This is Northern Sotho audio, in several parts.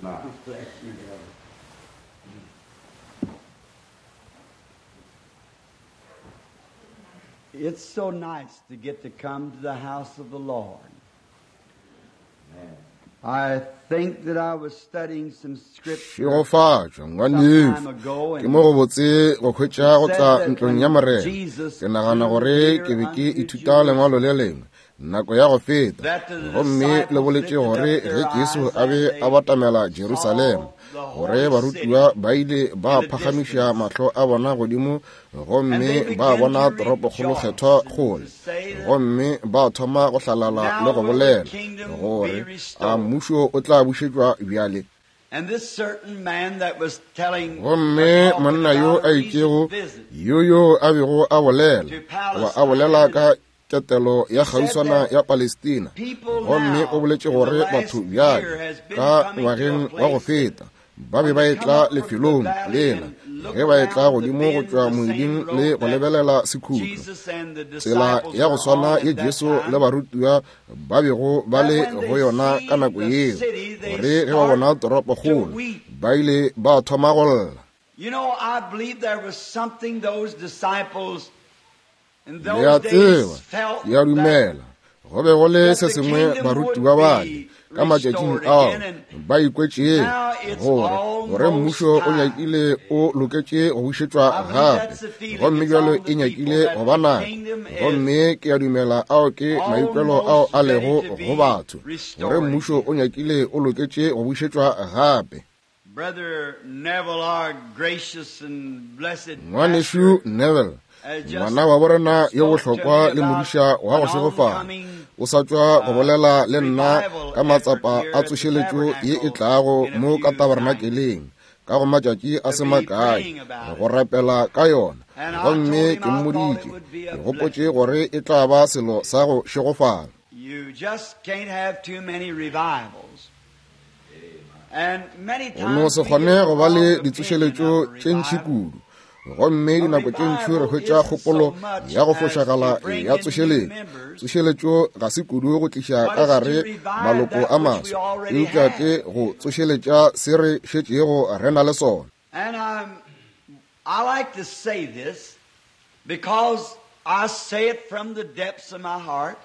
Now. Bless you, brother. It's so nice to get to come to the house of the Lord. I think that I was studying some scripture šegofatšwa some ngwanešu time ago ke and mo go botse go hwetša go said tla that ntlong when ya morena Jesus ke nagana drew gore near ke be ke unto ithuta lengwalo Jerusalem, le lengwe nako ya go feta that the gomme le disciples boletše lifted gore up ge their Jesu eyes a be as a they batamela Jerusalema saw the gore holy city barutiwa ba ile ba in the phagamiša distance. mahlo a bona godimo And gomme they ba began bona to toropokgolo rejoice kgethwa and to kgole say that gomme ba thoma go hlalala le now go will the bolela kingdom be gore a restored. mmušo o tla bušetšwa bjale. And this certain man that was telling or Gomme talking monna yo about a a recent itšego visit yo yo a bego a bolela to goba a bolela Palestine, ka ketelo ya he said kgauswana that ya Palestina, people gomme o now boletše in the gore last batho year bjale has been ka coming to a ngwageng wa go place that feta ba be when ba they come etla up from the lefelong valley lela and look ge ba etla around the godimo go bend, tšwa the same moeding le road go that lebelela sekhutlo, Jesus and the tsela disciples ya go were swana on ye at that Jesu le time, barutiwa ba bego ba that le when go they yona ka see nako the yeo, city, they gore ge ba start bona to toropokgolo weep. ba ile ba thoma go lla. You know, I believe there was something those disciples in Le a those days tseba, felt ke a that dumela go be go le that se the sengwe kingdom would barutiwa bale be ka matšatšing restored ao again, and ba ikwetšego now it's gore gore almost mmušo o time. nyakile o loketše go bušetšwa I believe gape, that's the feeling gomme that's bjalo on e the people, nyakile that go ba the nako. kingdom is Gomme ke a dumela ao ke maikwelo ao almost a ready lego to go be batho, gore restored mmušo again. o nyakile o loketše go bušetšwa gape. Brother Neville, our gracious and blessed Ngwanešu pastor, Neville, has just ngwana wa borena yo spoke to bohlokwa me le about modiša wa an go šegofala, oncoming o sa tšwa go bolela le nna revival ka effort matsapa here a at the tsošeletšo ye e tabernacle tlago in a mo ka few nights tabernakeleng ka go matšatši a to se be makae praying about go it. rapela ka yona. And I Gomme told him ke I thought it mmoditše would be ke a gopotše blessing. gore e tla ba selo sa go šegofala. You just can't have too many revivals. And many Go no times se we kgone get a go ba wrong le opinion ditsošeletšo of a tše ntši revival. kudu, gomme A dinako tše ntši re revival hwetša isn't so kgopolo much ya go as to fošagala bring ya in new tsošeletšo. members, Tsošeletšo ga se kudu go tliša but ka it's to gare revive maloko that a which we maswa, already eupša have. ke go tsošeletša se re šetšego re na le sona. And I like to say this because I say it from the depths of my heart.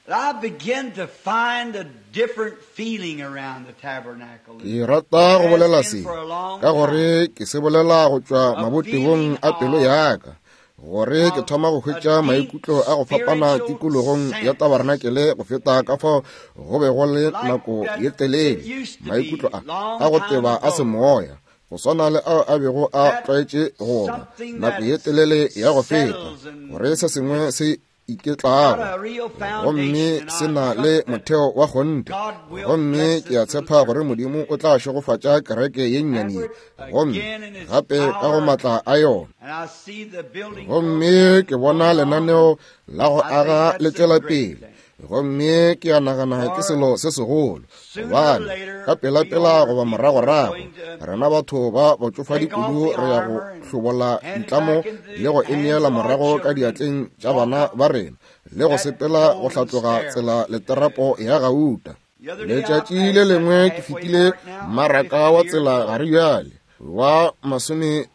That I begin to find a different feeling around the tabernacle Ke than rata there go has bolela been se for a long ka time. gore ke se bolela go tšwa A mabotebong feeling a pelo of, ya ka, gore ke of thoma go a hwetša deep maikutlo a go fapana spiritual tikologong ya sense tabernakeleng go feta ka fao go be go le like nako that ye it telele. used to Maikutlo be a long a go time teba a ago. semoya, go swana le ao a bego a That tlwaetše go ba something nako that ye telele ya go feta, settles and gore se sengwe se got iketlago a real gomme foundation, and se I na le trust that motheo wa kgonthe. God will Gomme bless ke a this little tshepa church. gore Modimo o tla šegofatša kereke ye And nnyane ye, we're gomme again in His gape ka go power, maatla a yona. and I see the building Gomme program ke bona going on, and lenaneo la go I think aga le that's a tšwela great pele, thing. gomme ke a nagana ke For selo se segolo, sooner or gobane ka later, we pelapela older goba people are moragorago going to rena batho ba batšofadi take off kudu the re ya go armor and hlobola hand it ditlamo back into le go the e hands neela of our morago ka children and diatleng tša walk bana up ba rena le go that sepela go golden hlatloga tsela stairway. leterapo ya gauta. The other day I Letšatši le passed that lengwe ke halfway fetile mark now, mmaraka wa 50 years tsela old. gare bjale wa 50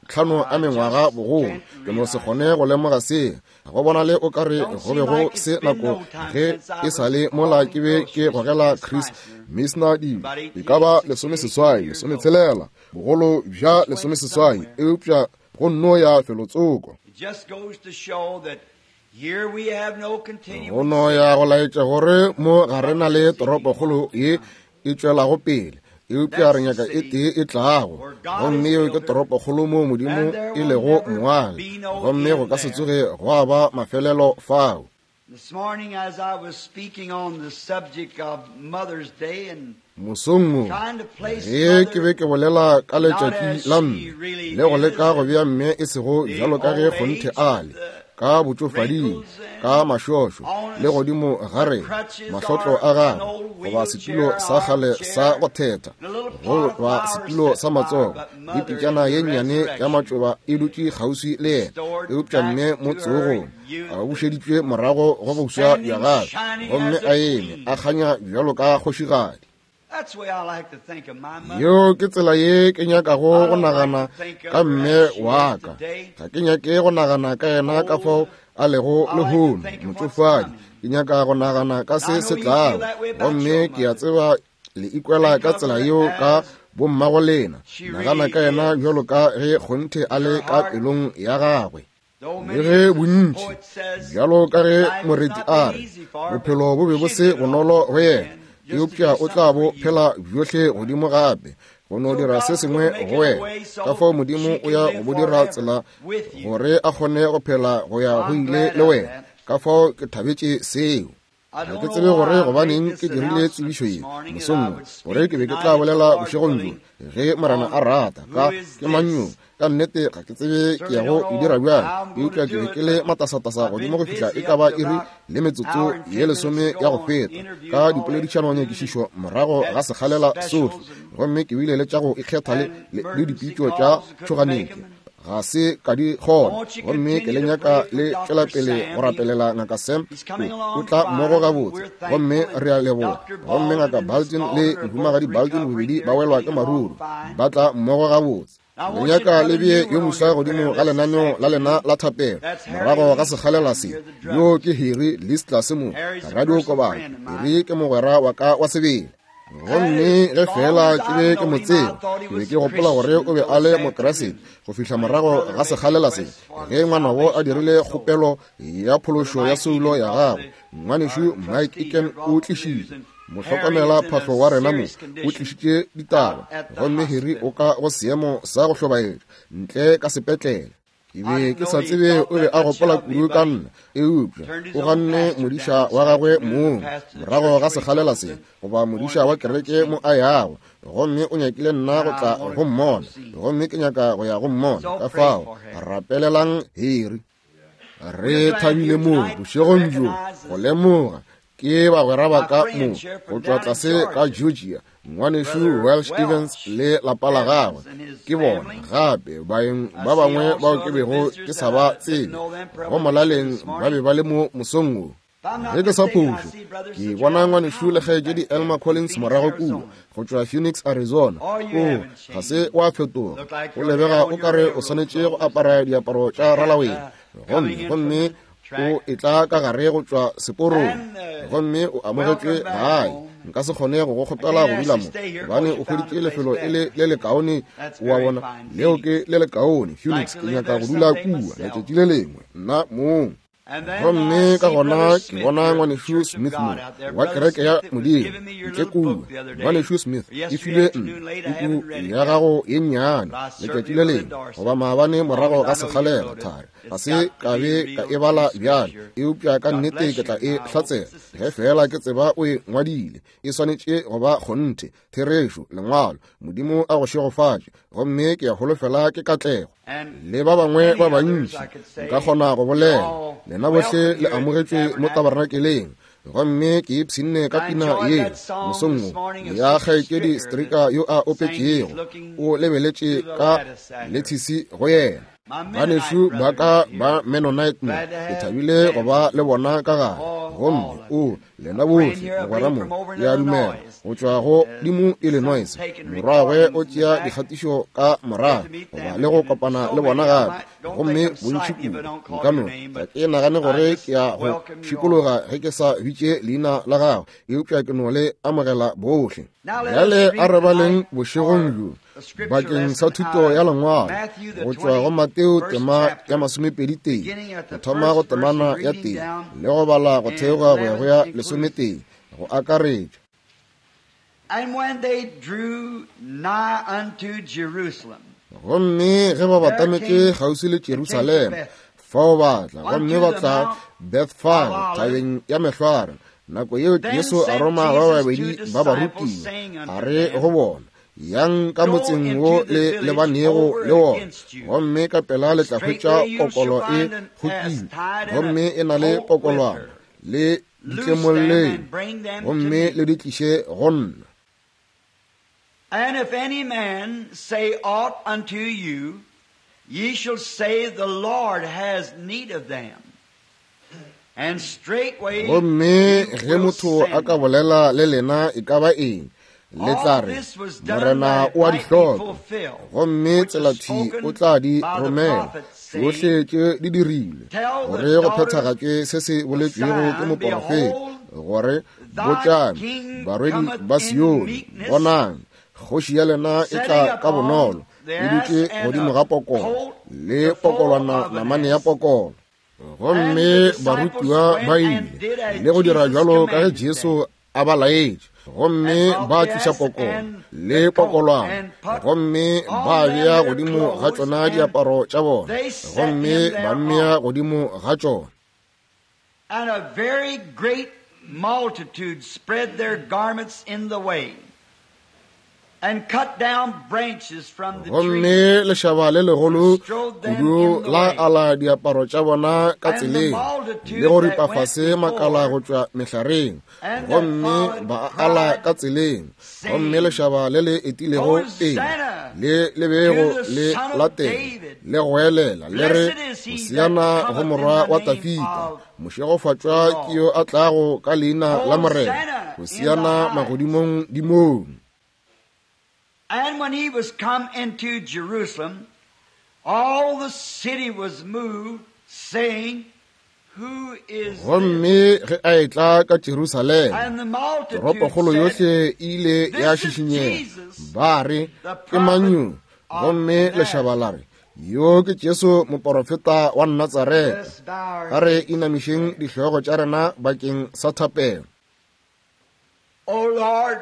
a I mengwaga just bogolo. can't Ke no se realize kgone it. go lemoga se. Go bona le o ka re Don't go seem be go like it's se been nako no time ge since I e sa was le mola hauling ke be ke groceries with gogela Miss Chris Meissner Meissner dilo about e ka ba 18, 16, 18 18, years old. 16, bogolo bja Just went 18, somewhere. eupša go nno ya felotsoko. It just goes to show that here we have no Go continuing no city, ya go laetša gore mo ga re but na we're le seeking toropokgolo one to ye come. e tšwelago pele, eupša re That's the nyaka e city tee e tlago, where God gomme is yeo ke builder, toropokgolo moo Modimo and there e will lego never moagi, be no gomme go end ka se there. tsoge gwa ba mafelelo fao. This morning, as I was speaking on the subject of Mother's Day and Mosong wo, trying to place ge ke Mother be ke bolela ka not letšatši as la she mme really le go is leka go in bea mme e sego the bjalo ka ge old kgonthe age a with le, the ka botšofading, wrinkles ka and mašošo on le us godimo ga the rena, crutches mahlotlo or a an gagwe old goba setulo wheelchair, sa kgale sa armchair, go thetha, and a little pot of goba flowers setulo set sa by, matsogo but le Mother is pitšana the ye nnyane ya resurrection, matšoba e dutše kgauswi le yena, restored eupša back mme mo to her tsogong a youth and bušeditšwe morago go boswa bja standing gagwe, shining gomme as a a eme a queen. kganya bjalo ka kgošigadi. Yeo ke tsela ye ke nyakago go nagana ka mme wa ka. Ga ke nyake go nagana ka yena ka fao a lego lehono, motšofadi. Ke nyaka go nagana ka se se tlago. Gomme ke a tseba le ikwela ka tsela yeo ka bommago lena. Nagana ka yena bjalo ka ge kgonthe a le ka pelong ya gagwe. Le ge bontši, bjalo ka ge moreti a re, bophelo bo be bo se bonolo go yena, eupša o tla bo phela bjohle godimo gape, go no dira se sengwe go wena. Ka fao Modimo o ya go bo dira tsela gore a kgone go phela go ya go ile le wena. Ka fao ke thabetše seo. Ga ke tsebe gore gobaneng ke dirile tsebišo ye mosong wo, gore ke be ke tla bolela bošegong bjo, ge Morena a rata, ka ke mang yo. Ka nnete ga ke tsebe ke ya go e dira bjang, eupša ke be ke le matasatasa godimo go fihla e ka ba iri le metsotso ye lesome ya go feta ka dipoledišanonyakišišo morago ga sekgalela sohle, gomme ke bile le tša go ikgetha le, le dipitšo tša tšhoganetšo. Ga se ka di kgona. Gomme ke le nyaka le tšwela pele go rapelela Ngaka Sam. O tla mmogo gabotse, gomme re a leboga. Gomme Ngaka Balton le Mohumagadi Balton bobedi ba welwa ke maruru, ba tla mmogo gabotse. Le nyaka le bee yo moswa godimo ga lenaneo la lena la thapelo morago ga sekgalela se. Yo ke Harry List tlase mo radiokobadi. Harry ke mogwera wa ka wa sebele. Gomme ge feela ke be ke mo tseba, ke be ke gopola gore o be a le Mokriste go fihla morago ga sekgalela se, ge ngwanabo a dirile kgopelo ya phološo ya soulo ya gagwe. Ngwanešu Mike Egan o tlišitše mohlokomela phahlo wa rena mo, o tlišitše ditaba, gomme Harry o ka go seemo sa go hlobaetša ntle ka sepetlele. Ke be ke sa tsebe o be a gopola kudu ka nna, eupša o ganne modiša wa gagwe mong morago ga sekgalela se, goba modiša wa kereke mo a yago, gomme o nyakile nna go tla go mmona, gomme ke nyaka go ya go mmona. Ka fao rapelelang Harry. Re thabile mo bošegong bjo go lemoga ke bagwera ba ka mo go tšwa tlase ka Georgia, ngwanešu Welsh Evans le lapa la gagwe. Ke bona gape baeng ba bangwe bao ke bego ke sa ba tsebe go molaleng ba be ba le mo mosong wo. Ge ke sa phošo, ke bona ngwanešu le kgaetšedi Elmer Collins morago kua go tšwa Phoenix, Arizona. O ga se wa fetoga, o lebega o ka re o swanetše go apara diaparo tša ralaweng. Gomme, gomme o etla ka gare go tšwa seporong, gomme o amogetšwe gae. Nka se kgone go go kgopela go dula mo, gobane o hweditše lefelo e le le lekaone. O a bona, leo ke le lekaone, Phoenix. Ke nyaka go dula kua letšatši le lengwe, nna mong. Gomme ka gona ke bona ngwanešu Smith mo wa kereke ya Modimo ntle kua. Ngwanešu Smith, e filwe nna puku ya gago ye nnyane letšatši le lengwe, goba maabane morago ga sekgalela thari. Ga se ka be ka e bala bjale, eupša ka nnete ke tla e hlatsela ge feela ke tseba o e ngwadile. E swanetše go ba kgonthe, therešo, lengwalo. Modimo a go šegofatše, gomme ke a holofela ke katlego. Le ba bangwe ba bantši nka kgona go bolela. Lena bohle le amogetšwe mo tabernakeleng. Gomme ke ipshinne ka pina ye mosong wo ya kgaetšedi Stricker yo a opetšego, o lebeletše ka lethisi go yena. Banešu ba ka ba Mennonite mo, ke thabile go ba le bona ka gare. Gomme o lena bohle mogwera mo, ke a dumela go tšwa go dimo Illinois, morwagwe o tšea dikgatišo ka morago goba le go kopana le bona gape. Gomme bontši kudu nka no ga ke nagane gore ke ya go šikologa ge ke sa bitše leina la gagwe, eupša ke no le amogela bohle. Bjale a re baleng bošegong bjo bakeng sa thuto ya lengwalo go tšwa go Mateo tema ya 21, go thoma go temana ya 1 le go bala go theoga go ya go ya 11 go akaretša. And when they drew nigh unto Jerusalem, Gomme ge ba batametše kgauswi le Jerusalema, fao ba tla, gomme ba tla Bethfage, thabeng ya Mehlware. Nako yeo Jesu a roma ba babedi ba barutiwa, a re go bona, Yang ka motseng wo le lebanego le wona, gomme ka pela le tla hwetša pokolo e kgokilwe, gomme e na le pokolwana, le ditlemolleng, gomme le di tliše go nna. And if any man say aught unto you, ye shall say the Lord has need of them. And straightway Gomme he ge will motho send a ka them. bolela le lena e ka ba eng, Le tla re, Morena o a di hloka, gomme tselathwi o tla di romela. Tšohle tše di dirilwe gore go phethagatšwe se se boletšwego ke moporofeta, gore, Botšang barwedi ba Sione, bonang, kgoši ya lena e tla ka bonolo, e dutše godimo ga pokolo, le pokolwana namane ya pokolo. Gomme barutiwa ba ile le go dira bjalo ka ge Jesu a ba laetše, gomme ba tliša pokolo le pokolwana, gomme ba bea godimo ga tšona diaparo tša bona, gomme ba mmea godimo ga tšona. And a very great multitude spread their garments in the way, and cut down branches from the Gomme trees. lešaba le legolo kudu la ala diaparo tša bona ka tseleng, le go ripa fase makala go tšwa mehlareng, gomme ba ala ka tseleng. Gomme lešaba le le etilego pele le le bego le latela le goelela le re, Hosiana go morwa wa Tafita, mošegofatšwa ke yo a tlago ka leina la Morena, Hosiana magodimong dimong. And when he was come into Jerusalem, all the city was moved, saying, Who is this? Gomme ge a etla ka Jerusalema, And the multitude toropokgolo said, yohle e ile ya This is šišinyega, Jesus, ba re, the Ke mang yo? prophet of Gomme Nazareth. lešaba la re, Yo ke Jesu moporofeta wa Natsareta. Let's bow our A re inamišeng dihlogo tša rena bakeng sa thapelo. O Lord,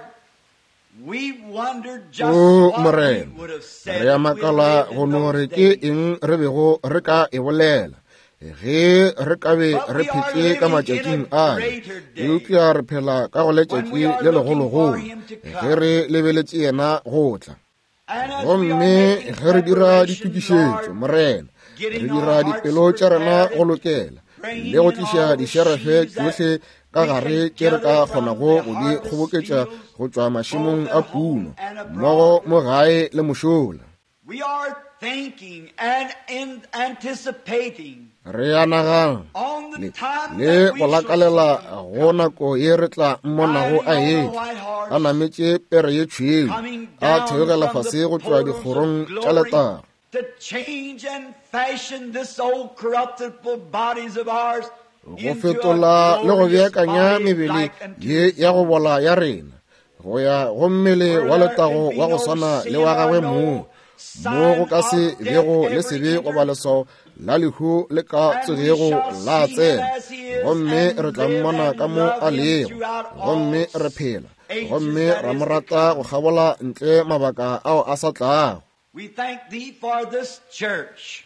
we wondered just O what we Morena, would have said re a if we makala lived go in no those re ke days. eng re bego re ka e bolela ge re ka be But re we are phetše ka living in matšatšing a ale, greater day eupša re phela ka go when letšatši we are le looking for legologolo him to ge come. re lebeletše yena go tla. And as we are Gomme making ge re dira preparation, ditokišetšo, Lord, Morena, re getting our dira hearts dipelo tša rena prepared, go lokela le bringing go in tliša all the dišerefe sheaves that tšohle ka we gare can tše re ka gather from kgonago the go di harvest kgoboketša fields, go tšwa mašemong both a at home puno, and mmogo abroad. mo gae le mošola. We are thinking and in anticipating Re a nagana on the le time le that we go shall lakalela see him go coming, nako ye re tla mmonago riding a on the etla, white a horse, nametše pere ye tšhweu, coming a down theogela from the fase go tšwa portals of dikgorong tša glory letago. to change and fashion this old corruptible bodies of ours Go into a fetola le go glorious beakanya body mebele like unto ye his ya go own. bola ya rena go ya go mmele Where wa there can letago be wa go no swana le sin wa or gagwe mong, no mo go sign ka se of death bego le ever sebe goba enter, leswao la lehu le ka and we tsogego shall la see him tsena. as he is Gomme and re tla live mmona and ka mo love a him lego, throughout gomme all re phela, ages gomme that ra is mo to rata go come. kgabola ntle mabaka ao a sa tlago. We thank thee for this church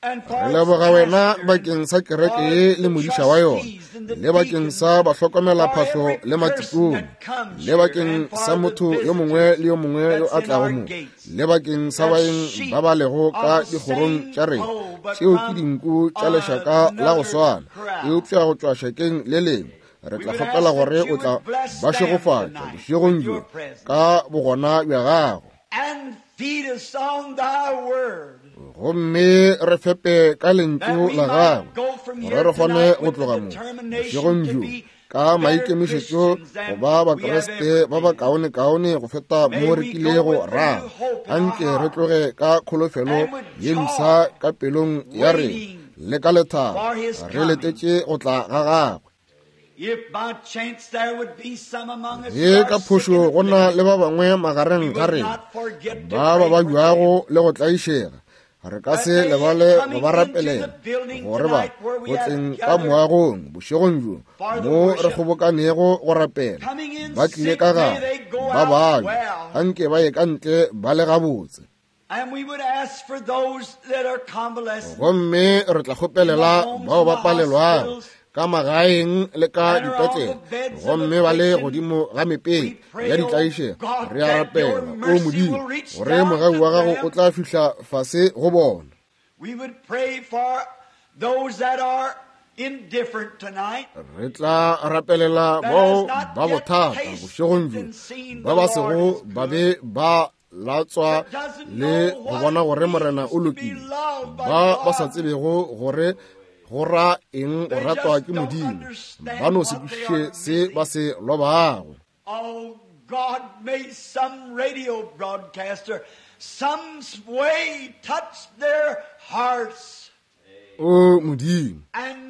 and Re for its leboga wena pastor and bakeng sa kereke for ye le the modiša wa yona, trustees and the le bakeng deacons, sa for bahlokomelaphahlo every le person matikone, that comes le here bakeng and sa for the motho yo mongwe visitors le yo mongwe yo that's a in tlago our mo, gates, le bakeng sa that baeng sheep ba ba lego ka of the dikgorong same tša rena. fold, but Tšeo ke from dinku tša lešaka la go another swana, crowd. eupša go tšwa šakeng le lengwe. Re We tla would kgopela ask that gore you o would tla bless ba them šegofatša tonight bošegong with bjo your presence ka bogona bja gago. and feed us on thy word, Gomme re fepe ka that lentšu we la might gagwe, go from gore here re kgone tonight go with the tloga mo determination bošegong to bjo be ka better maikemišetšo Christians go than ba we have Bakriste ever ba ba been. kaonekaone go feta May mo re we go kilego with a ra. new hope in our Anke re heart tloge ka kholofelo and with ye mpsha joy, ka pelong ya rena waiting le ka lethabo, for his re coming. letetše go tla ga gagwe. If by chance there would be some among us who Ge are ka sick and phošo go na afflicted, le ba bangwe we magareng ga would rena not forget to ba ba pray for them. babjago le go tlaišega, re ka That se they lebale go coming ba into the rapelela building gore ba tonight where we go have tleng ka gathered moagong bošegong bjo for the mo re worship, kgobokanego go rapela, coming in ba tlile sick, ka may gare they go ba out babja, well. anke ba ye ka ntle ba le gabotse. And we would ask for those that are convalescent Gomme re tla in the kgopelela homes bao and ba the palelwago hospitals ka magaeng le ka and are on dipetlele, the beds of gomme ba le affliction. godimo ga We mepele ya pray, oh ditlaišego. God, Re a that your rapela, o mercy Modimo, will reach gore down mogau to wa gago o them. tla fihla fase go bona. We would pray for those that are indifferent tonight, Re tla rapelela that has bao not ba yet bothata tasted bošegong bjo, and seen ba the ba Lord sego is ba good, be ba latswa that doesn't le know go what bona it gore Morena means o to be lokile, loved by ba ba sa God. tsebego gore go ra eng go They ratwa just ke don't Modimo, understand ba no se what they kwešiše are se ba missing. se lobago. Oh God, may some radio broadcaster some way touch their hearts. O Modimo,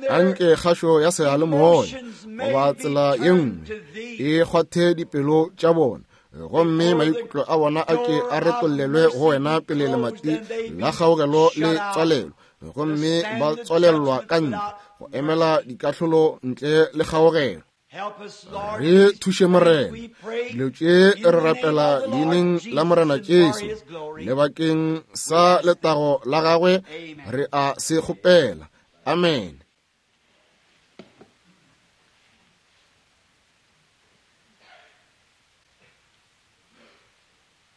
anke kgašo ya seyalemoya goba tsela ye nngwe e kgwathe dipelo tša bona, gomme maikutlo a bona a ke a retollelwe go wena pele lemati la kgaogelo le tswalelo, gomme ba tswalelwa ka ntle go emela dikahlolo ntle le kgaogelo. Re thuše Morena, dilo tše re rapela leineng la Morena Jesu, lebakeng sa letago la gagwe re a se kgopela. Amen.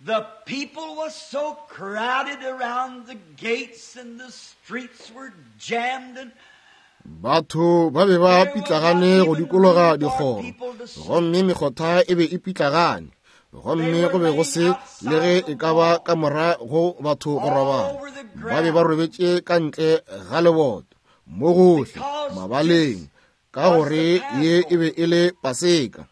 The people was so crowded around the gates and the streets were jammed and Batho ba be ba pitlagane go dikologa dikgoro, gomme mekgotha e be e pitlagane, gomme go be go se le ge e ka ba ka mora go batho go robala. Ba be ba robetše ka ntle ga leboto, mo gohle, mabaleng, ka gore ye e be e le Paseka.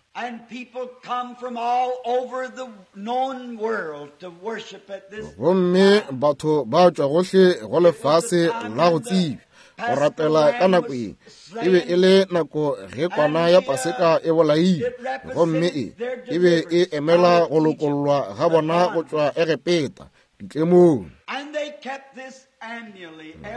Gomme batho ba tšwa gohle go lefase la go tsebja go rapela ka nako ye. E be e le nako ge kwana ya Paseka e bolailwe, gomme e e be e emela go lokollwa ga bona go tšwa Egepeta ditlemong.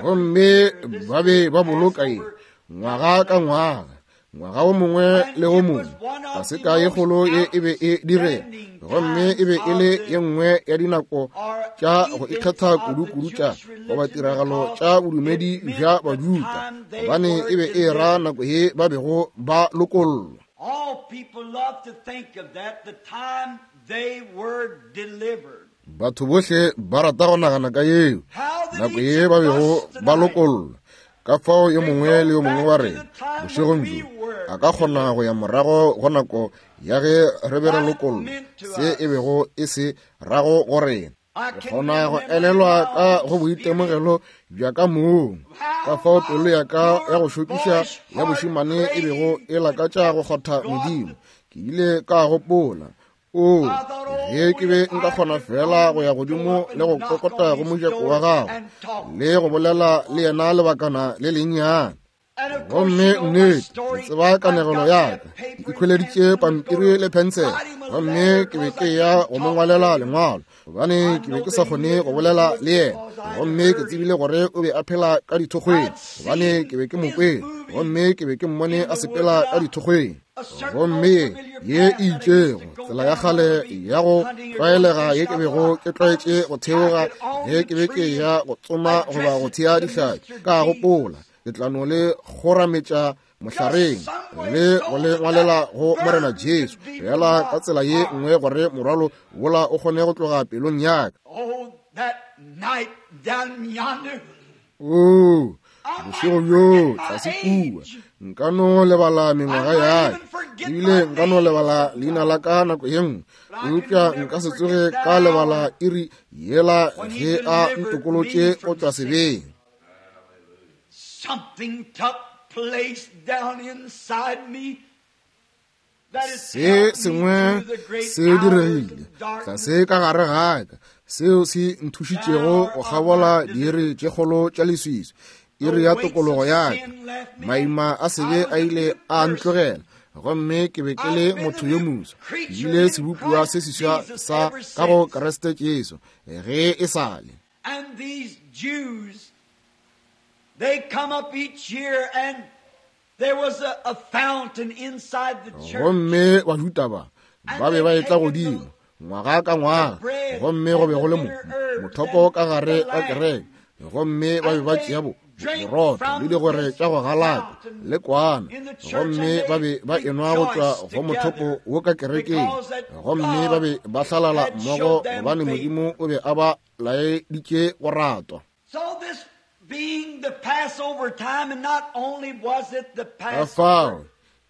Gomme ba be ba boloka ye ngwaga ka ngwaga, ngwaga o mongwe le o mongwe. Paseka ye kgolo ye e be e direga, gomme e be e le ye nngwe ya dinako tša go ikgetha kudu-kudu tša goba tiragalo tša bodumedi bja Bajuda, gobane e be e ra nako ye ba bego ba lokollwa. Batho bohle ba rata go nagana ka yeo nako ye ba bego ba lokollwa. Ka fao yo mongwe le yo mongwe wa rena bošegong bjo a ka kgona go ya morago go nako ya ge re be re lokollwa, se e bego e se rago go rena. Ke kgona go elelwa ka go boitemogelo bja ka mong, ka fao pelo ya ka ya go šokiša ya bošemane e bego e lakatša go kgotha Modimo. Ke ile ka gopola, O, ge ke be nka kgona fela go ya godimo le go kokota go mojako wa gago le go bolela le yena lebakana le lennyane. Gomme nnete, ke tseba kanegelo ya ka. Ke ikhweleditše pampiri le phensele, gomme ke be ke ya go mo ngwalela lengwalo, gobane ke be ke sa kgone go bolela le yena. Gomme ke tsebile gore o be a phela ka dithokgweng, gobane ke be ke mo kwele, gomme ke be ke mmone a sepela ka dithokgweng. Gomme ye e itšego tsela ya kgale ya go tlwaelega ye ke bego ke tlwaetše go theoga ge ke be ke ya go tsoma goba go thea dihlapi, ka gopola ke tla no le kgorametša mohlareng le go le ngwalela go Morena Jesu, fela ka tsela ye nngwe gore morwalo wola o kgone go tloga pelong ya ka. Oo, bošego bjo tlase kua, nka no lebala mengwaga ya ka, ebile nka no lebala leina la ka nako ye nngwe, eupša nka se tsoge ka lebala iri yela ge a ntokolotše go tšwa sebeng. Se sengwe se diregile tlase ka gare ga ka seo se nthušitšego go kgabola diiri tše kgolo tša leswiswi, iri ya tokologo ya ka. Maima a sebe a ile a ntlogela, gomme ke be ke le motho yo moswa, ke bile sebopiwa se seswa sa ka go Kriste Jesu ge e sa le. And these Jews, they come up each year and there was a fountain inside the church. Gomme Bajuda ba ba be ba etla godimo ngwaga ka ngwaga, gomme go be go le mothopo ka gare ga kereke, gomme ba be ba tšea borotho le digwere tša go galaka le kwana, gomme ba be ba enwa go tšwa go mothopo wo ka kerekeng, gomme ba be ba hlalala mmogo gobane Modimo o be a ba laeditše go ratwa. Ka fao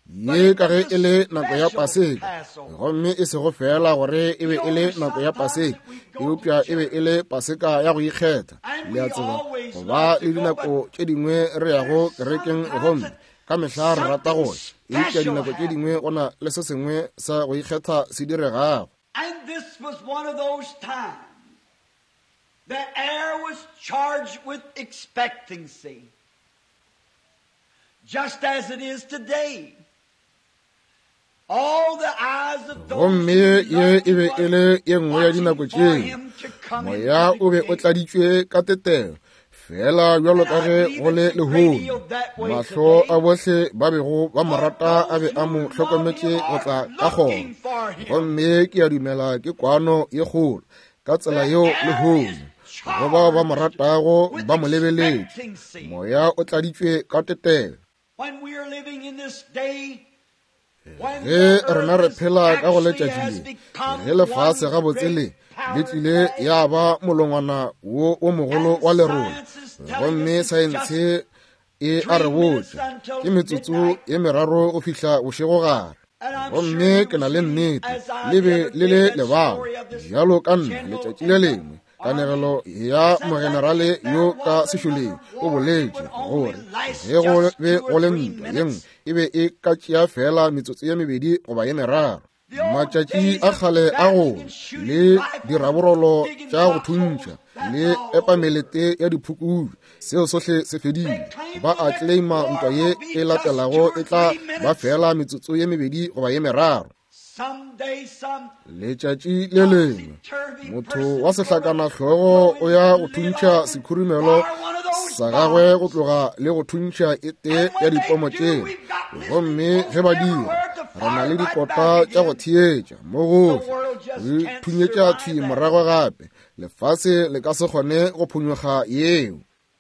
ye ka ge e le nako ya Paseka, gomme e sego fela gore e be e le nako ya Paseka, eupša e be e le Paseka ya go ikgetha. Le a tseba, go ba le dinako tše dingwe re yago kerekeng gomme Ka mehla re rata go ya, eupša dinako tše dingwe go na le se sengwe sa go ikgetha se diregago. And this was one of those times. The air was charged with expectancy, just as it is today. All the eyes of those Gomme who ye loved e be him e le ye nngwe ya watching dinako for tšeo. him to come Moya into o the be o gate. tladitšwe ka tetelo, fela bjalo ka ge go le lehono. Mahlo a bohle ba bego ba mo rata a be a mo hlokometše go tla ka kgoro. Gomme ke a dumela ke kwano ye kgolo ka tsela yeo lehono. Go bao ba mo ratago With ba mo lebeletše. expectancy. Moya o tladitšwe ka tetelo. When we are living in this day, when Ge the rena re earth phela ka go actually letšatši has le, become ge lefase one gabotse le great le powdered tlile bag, ya ba molongwana wo o mogolo wa lerole, gomme saense e a re botša ke metsotso ye meraro go fihla bošegogare. and I'm sure Gomme you ke na le see, nnete as I le the be other le day, le that lebala story of this bjalo ka nna general letšatši le in the lengwe. army Kanegelo ya said that mogenerale if there yo ka was sešoleng another o war, it boletše would only gore last ge go just be 2 go or le 3 ntwa ye nngwe minutes. e be e ka tšea fela metsotso ye mebedi goba ye meraro. The old Matšatši days a of kgale a bashing go and shooting le rifles, diraborolo digging tša go foxholes, thuntšha that's le all over. epamelete ya diphukubje, seo sohle se They fedile. claim Ba the a next claima war ntwa ye will be e just 2 latelago or e tla 3 ba minutes. fela metsotso ye mebedi goba ye meraro. Someday some Letšatši le lengwe topsy-turvy motho person wa is gonna sehlakanahlogo go o ya into go the lid thuntšha off and sekhurumelo fire one of those sa gagwe go bombs. tloga le go thuntšha e tee And ya when they dipomo do, tšeo. we've got listening Gomme ge posts ba dira, everywhere to re na fire le right dikota back tša go again. theetša mo The gohle, world just re can't thunyetša survive thwi that. morago gape. Lefase le ka se kgone go phonyokga yeo.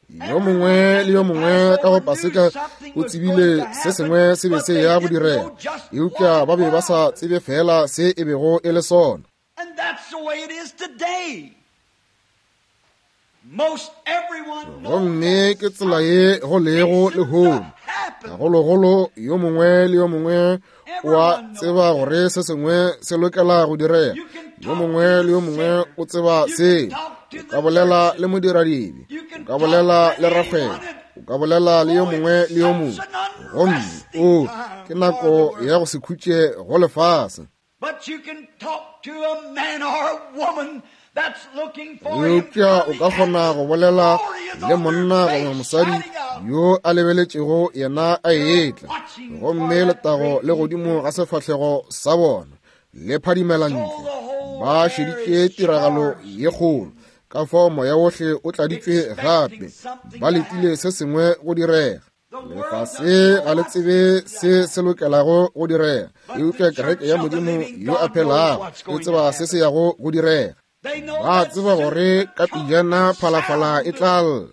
Yo mongwe Everyone le at yo the mongwe ka go Passover knew Paseka something o was going tsebile to se happen, sengwe se be but se they ya go didn't direga, know just eupša what ba it be ba sa was. tsebe fela se e bego e le sona. And that's the way it is today. Most everyone knows Gomme that ke tsela ye something's go lego fixing to lehono. happen. Gagologolo yo mongwe le yo mongwe o a Everyone knows tseba that. gore se sengwe se lokela go direga. You can Yo talk to mongwe the le yo mongwe sinner. o tseba You can seo. talk to O the ka bolela le merchant. modiradibe, You o can ka talk bolela to le rakgwebo, anyone. And o ka bolela le yo oh, mongwe it's le yo such mongwe. an Gomme unresting o ke time for the nako ya world. go se khutše go lefase. But you can talk to a man or a woman that's looking for him Eupša o coming, ka and kgona the go bolela glory is le on their monna goba face mosadi shining out. yo a lebeletšego yena a They're etla, watching for gomme that letago great le godimo event. ga sefahlego sa bona le phadimela So ntle. the whole Ba air šeditše is tiragalo charged ye kgolo, ka fao moya wohle o tladitšwe gape, expecting something ba to letile happen. se sengwe go direga. The world Lefase doesn't know ga le what's tsebe to se happen, se lokelago go direga, but the eupša kereke church ya of the Modimo living yo a God knows phelago what's e going to tseba se se happen. yago go direga. They know Ba that tseba soon gore the ka trumpet pejana will phalafala e sound tla lla,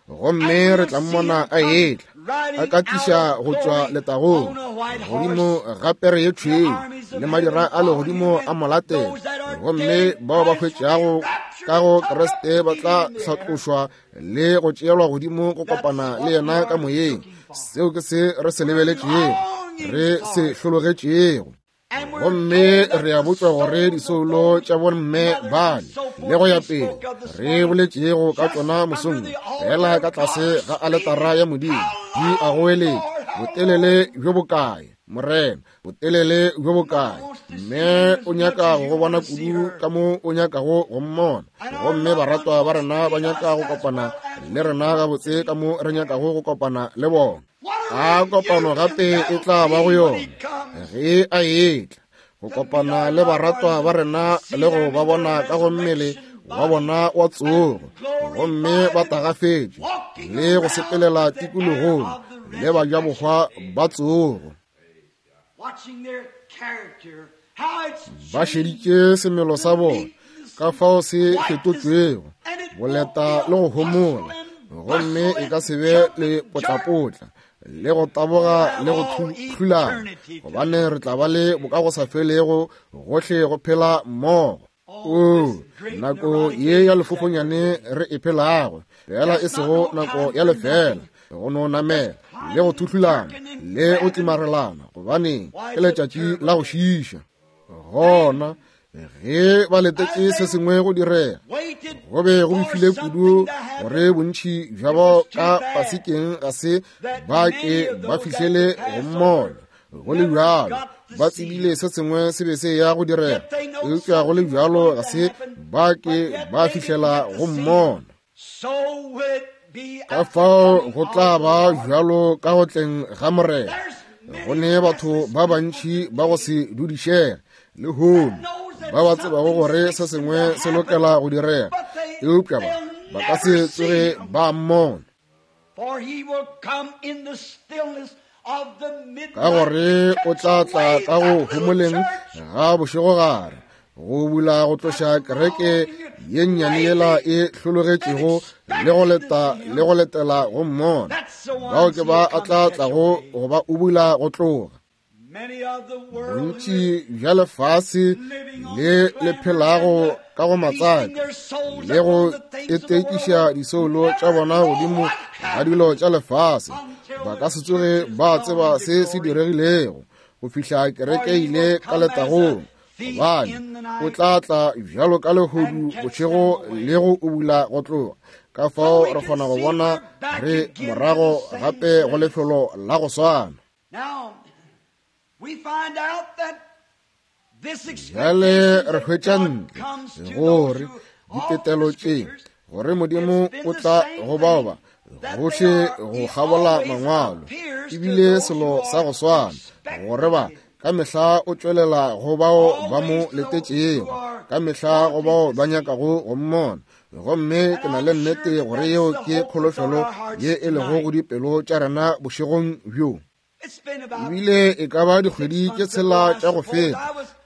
gomme and re we'll tla see mmona him a come etla, a riding ka out tliša of go tšwa glory letagong on a white godimo horse. ga pere ye The tšhweu, armies of le madira heaven a follow him, legodimo a and mo latela. those that are Gomme dead in bao ba Christ will be hwetšago raptured ka and go took up Kriste to ba meet tla him in the air. hlatlošwa le go tšeelwa godimo go That's kopana le what we yena ka are moyeng. looking for. Seo ke se re se We're lebeletšego, longing re for se it. hlologetšego. And we're Gomme told that re a the botšwa gore souls of disoulo those tša bomme mothers and bale so le forth go ya we pele spoke of this re morning, boletšego ka just tšona under mosong the fela altar ka of tlase God ga aletara screaming, ya Modimo How di a long, goeletša, Lord, how botelele long? bjo bokae, Morena, botelele bjo Mother bokae? wants to see Mme him as o much nyaka as go you go want bona to see kudu her. ka mo o nyakago go mmona. And our Gomme loved ones baratwa ba wants to rena ba meet nyaka us go as kopana well as le we rena want to gabotse ka meet mo re them. nyakago go kopana le bona. What a A kopano reunion gape e that'll tla ba go be when yona he comes ge a etla go to meet kopana our le loved baratwa ones ba and rena see le go them ba in their bona ka go mmele resurrection wa bodies bona wa tsogo, and gomme ba glorified and tagafetše walking le go around sepelela with the air tikologong of the le bajabohwa resurrection, ba tsogo. watching their character, how it's Ba changed, šeditše semelo the sa bona meekness ka and fao se quietness, fetotšwego, and it won't be boleta a le go hustle homola, and gomme bustle e ka and se be jump le and jerk. potlapotla le go We'll taboga have le go all thulana, eternity gobane together. re tla ba le bokagosafelego gohle go phela mmogo. Oh, O this great nako neurotic ye ya age that we're lefofonyane living in. re e phelago, fela e Just not sego no nako time ya for lefela, nothing. go no Just namela le go climbing, thuhlulana jerking, and le go grabbing. tlimarelana, gobane Why, ke it's a letšatši terrible la go day. šiiša. Then Gona Ge ba letetše se sengwe go direga, go be go befile kudu gore bontši bja bao ka pasekeng ga se ba ke ba fihlele go mmona. Go le bjalo, ba tsebile se sengwe se be se ya go direga, eupša go le bjalo ga se ba ke ba fihlela go mmona. Ka fao go tla ba bjalo ka go tleng ga Morena. Go ne batho ba bantši ba go se dudišege lehono ba ba tsebago gore se sengwe se lokela go direga, eupša ba ka se tsoge ba mmona. Ka gore o tla tla ka go homoleng ga bošegogare, go bula go tloša kereke ye nnyane yela e hlologetšego le go leta le go letela go mmona. Bao ke ba a tla tlago go ba ubula go tloga. Bontši bja lefase le le phelago ka go matsaka le go etekiša disoulo tša bona godimo ga dilo tša lefase, ba ka se tsoge ba tseba se se diregilego go fihla kereke ile ka letagong, gobane o tla tla bjalo ka lehodu bošego le go ubula go tloga. Ka fao re kgona go bona re morago gape go lefelo la go swana. Bjale re hwetša ntle gore ditetelo tše, gore Modimo o tla go bao ba gohle go kgabola mangwalo, ebile selo sa go swana, gore ba ka mehla o tšwelela go bao ba mo letetšego, ka mehla go bao ba nyakago go mmona. Gomme ke na le nnete gore yeo ke kholofelo ye e lego go dipelo tša rena bošegong bjo. Ebile e ka ba dikgwedi tše tshela tša go feta,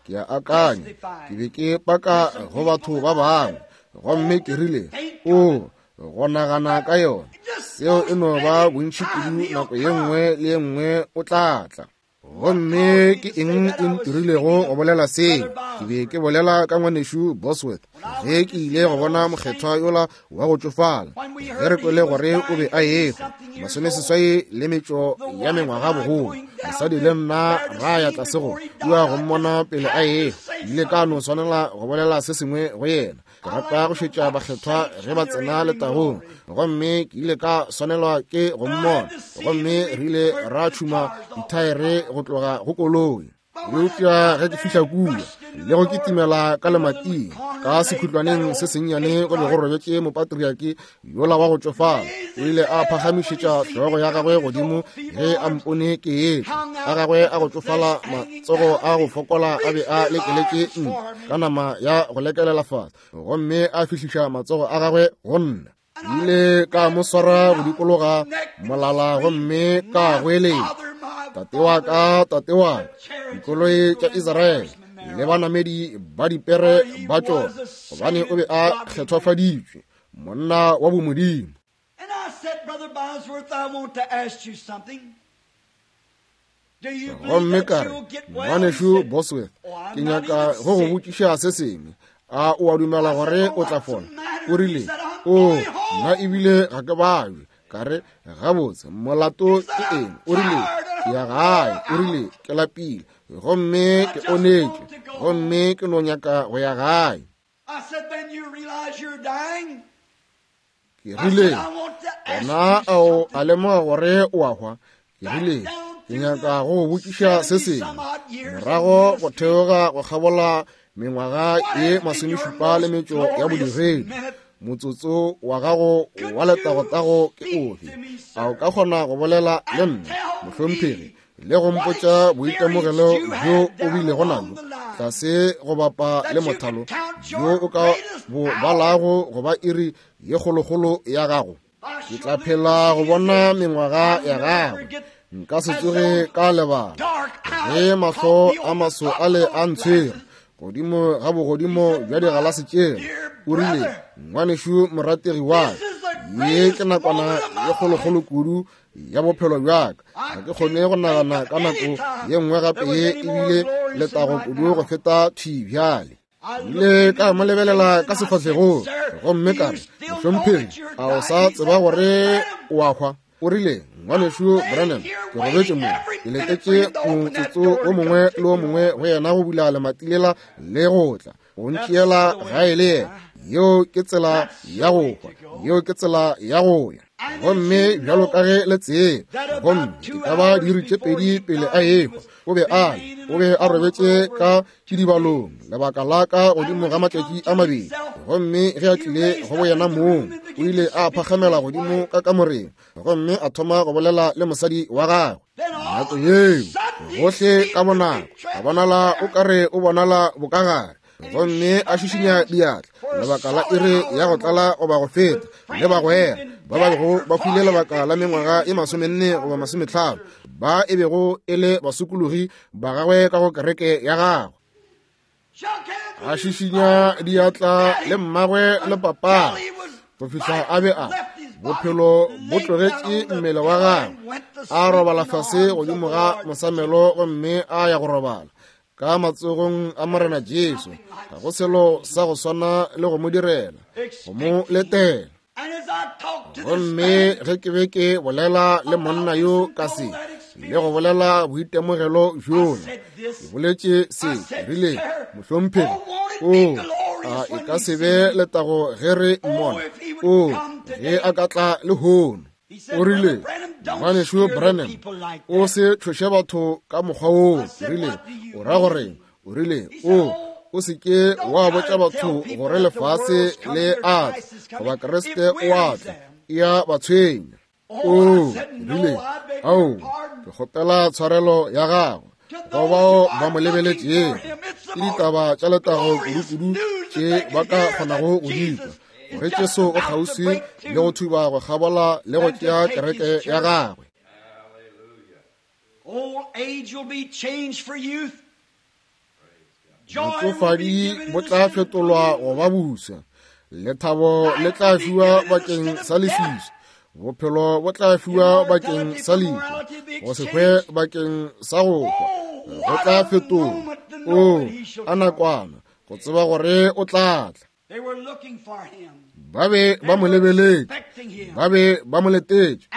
ke a akanya, ke be ke paka go batho ba bangwe, gomme ke rile, o go nagana ka yona, seo e no ba bontši kudu, nako ye nngwe le ye nngwe o tla tla. Gomme ke eng e ntirilego go bolela seo? Ke be ke bolela ka ngwanešu Bosworth ge ke ile go bona mokgethwa yola wa go tšofala, ge re kwele gore o be a ehwa 80 le metšo ya mengwaga bogolo. Mosadi le nna ra ya tlase go kua go mmona pele a ehwa. Ile ka no swanela go bolela se sengwe go yena. Ke rata go šetša bakgethwa ge ba tsena letagong, gomme ke ile ka swanelwa ke go mmona. Gomme re ile ra tšhuma dithaere go tloga go koloi. Eupša ge ke fihla kua le go kitimela ka lemating ka sekhutlwaneng se sennyane go be go robetše mopatriaki yola wa go tšofala. O ile a phagamišetša hlogo ya gagwe godimo ge a mpone ke etla, a gagwe a go tšofala, matsogo a go fokola a be a lekeletše ntle ka nama ya go lekelela fase, gomme a fihliša matsogo a gagwe go nna. Ile ka mo swara go dikologa molala gomme ka goeletša, Tate wa ka, tate wa ka, dikoloi tša Israele le banamedi ba dipere ba tšona, gobane o be a kgethwafaditšwe, monna wa bomodimo. Gomme ka re, Ngwanešu Bosworth, ke nyaka go go botšiša se sengwe. A o a dumela gore o tla fola? O rile, O, nna ebile ga ke babje. Ka re, Gabotse, molato ke eng? O rile, Ke ya gae. O rile, Ke lapile gomme ke onetše, gomme ke no nyaka go ya gae. Ke rile, Gona a o a lemoga gore o a hwa? Ke rile, Ke nyaka go go botšiša se sengwe. Morago go theoga go kgabola mengwaga ye 70 le metšo ya bodiredi, motsotso wa gago wa letagotago ke ofe? A o ka kgona go bolela le nna, mohlomphegi, le go mpotša boitemogelo bjo o bilego nabo tlase go bapa le mothalo bjo o ka bo balago go ba iri ye kgolokgolo ya gago? Ke tla phela go bona mengwaga ya gagwe, nka se tsoge ka lebala ge mahlo a maso a le a ntshwere godimo ga bogodimo bja digalase tšela. O rile, Ngwanešu morategi wa ka, ye ke nakwana ye kgolokgolo kudu ya bophelo bja ka. Ga ke kgone go nagana ka nako ye nngwe gape ye ebile letago kudu go feta thwi bjale. Ile ka mo lebelela ka sefahlegong gomme ka re, Mohlomphegi, a o sa tseba gore o a hwa? O rile, Ngwanešu Branham, ke robetše mo, ke letetše motsotso wo mongwe le wo mongwe go yena go bula lemati lela le go tla go ntšeela gae le yena. Yeo ke tsela ya go hwa, yeo ke tsela ya go ya. Gomme bjalo ka ge le tseba, gomme e ka ba diiri tše pedi pele a ehwa, o be a o be a robetše ka kidibalong lebaka la ka godimo ga matšatši a mabedi. Gomme ge a tlile go boyena mong, o ile a phakgamela godimo ka kamoreng gomme a thoma go bolela le mosadi wa gagwe. Nako yeo gohle ka bonako a bonala o ka re o bonala bokagare, gomme a šišinya diatla lebaka la iri ya go tlala goba go feta le bagwera ba ba bego ba hwile lebaka la mengwaga e 40 goba 50 ba e bego e le basokologi ba gagwe ka go kereke ya gagwe. A šišinya diatla le mmagwe le papa go fihla a be a bophelo bo tlogetše mmele wa gagwe, a robala fase godimo ga mosamelo gomme a ya go robala ka matsogong a Morena Jesu. Ga go selo sa go swana le go mo direla, go mo letela. Gomme ge ke be ke bolela le monna yo ka se, le go bolela boitemogelo bjola, ke boletše se, ke rile, Mohlomphegi, o a e ka se be letago ge re mmona, o ge a ka tla lehono. O rile, Ngwanešu Branham, o se tšhoše batho ka mokgwa woo. Ke rile, O ra goreng? O rile, O se ke wa botša batho gore lefase le a tla, goba Kriste o a tla, e a ba tshwenya. O rile, Ao, ke kgopela tshwarelo ya gago go bao ba mo lebeletšego. Ke ditaba tša letago kudu-kudu tše ba ka kgonago go di kwa, gore Jesu o kgauswi le go thuba go kgabola le go tšea kereke ya gagwe. Botšofadi bo tla fetolwa go ba busa, lethabo le tla fiwa bakeng sa leswiswi, bophelo bo tla fiwa bakeng sa lehu, go se hwe bakeng sa go hwa go tla fetolwa. O a nakwana go tseba gore o tla tla. Ba be ba mo lebeletše, ba be ba mo letetše,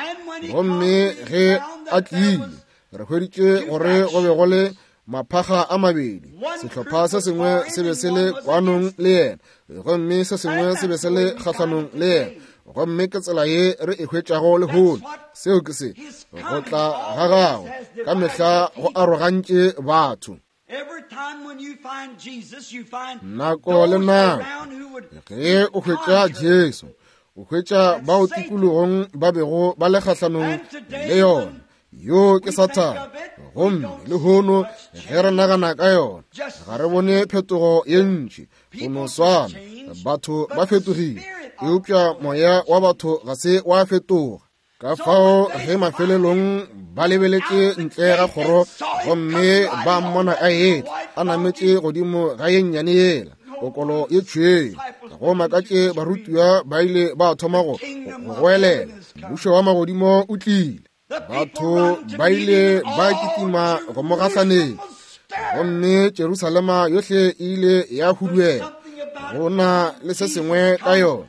gomme ge a tlile, re hweditše gore go be go le maphakga a mabedi. Sehlopha se sengwe se be se le kwanong le yena, gomme se sengwe se be se le kgahlanong le yena. Gomme ke tsela ye re e hwetšago lehono. Seo ke se go tla ga gagwe ka mehla go arogantše batho. Nako le nako ge o hwetša Jesu, o hwetša bao tikologong ba bego ba le kgahlanong le yona. Yo ke Sathane. Gomme lehono ge re nagana ka yona, ga re bone phetogo ye ntši. Go no swana, batho ba fetogile, eupša moya wa batho ga se wa fetoga. Ka fao ge mafelelong ba lebeletše ntle ga kgoro gomme ba mmona a etla a nametše godimo ga ye nnyane yela okolo ye tšhweu, go makatše barutiwa ba ile ba thoma go goelela, Mmušo wa magodimo o tlile. Batho ba ile ba kitima go mo gahlanetša, gomme Jerusalema yohle e ile ya huduela. Go na le se sengwe ka yona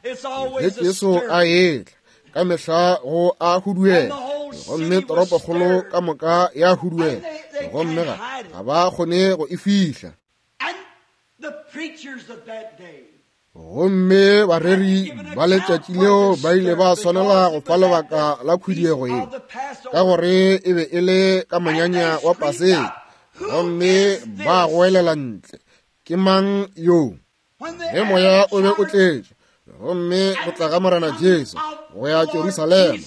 ge Jesu a etla, ka mehla go a huduela, gomme toropokgolo ka moka ya huduela, gomme ga ba kgone go e fihla. Gomme bareri ba letšatši leo ba ile ba swanela go fa lebaka la khuduego ye, ka gore e be e le ka monyanya wa Paseka, gomme ba goelela ntle, Ke mang yo? Ge moya o be o tletše, gomme go tla ga Morena Jesu go ya Jerusalema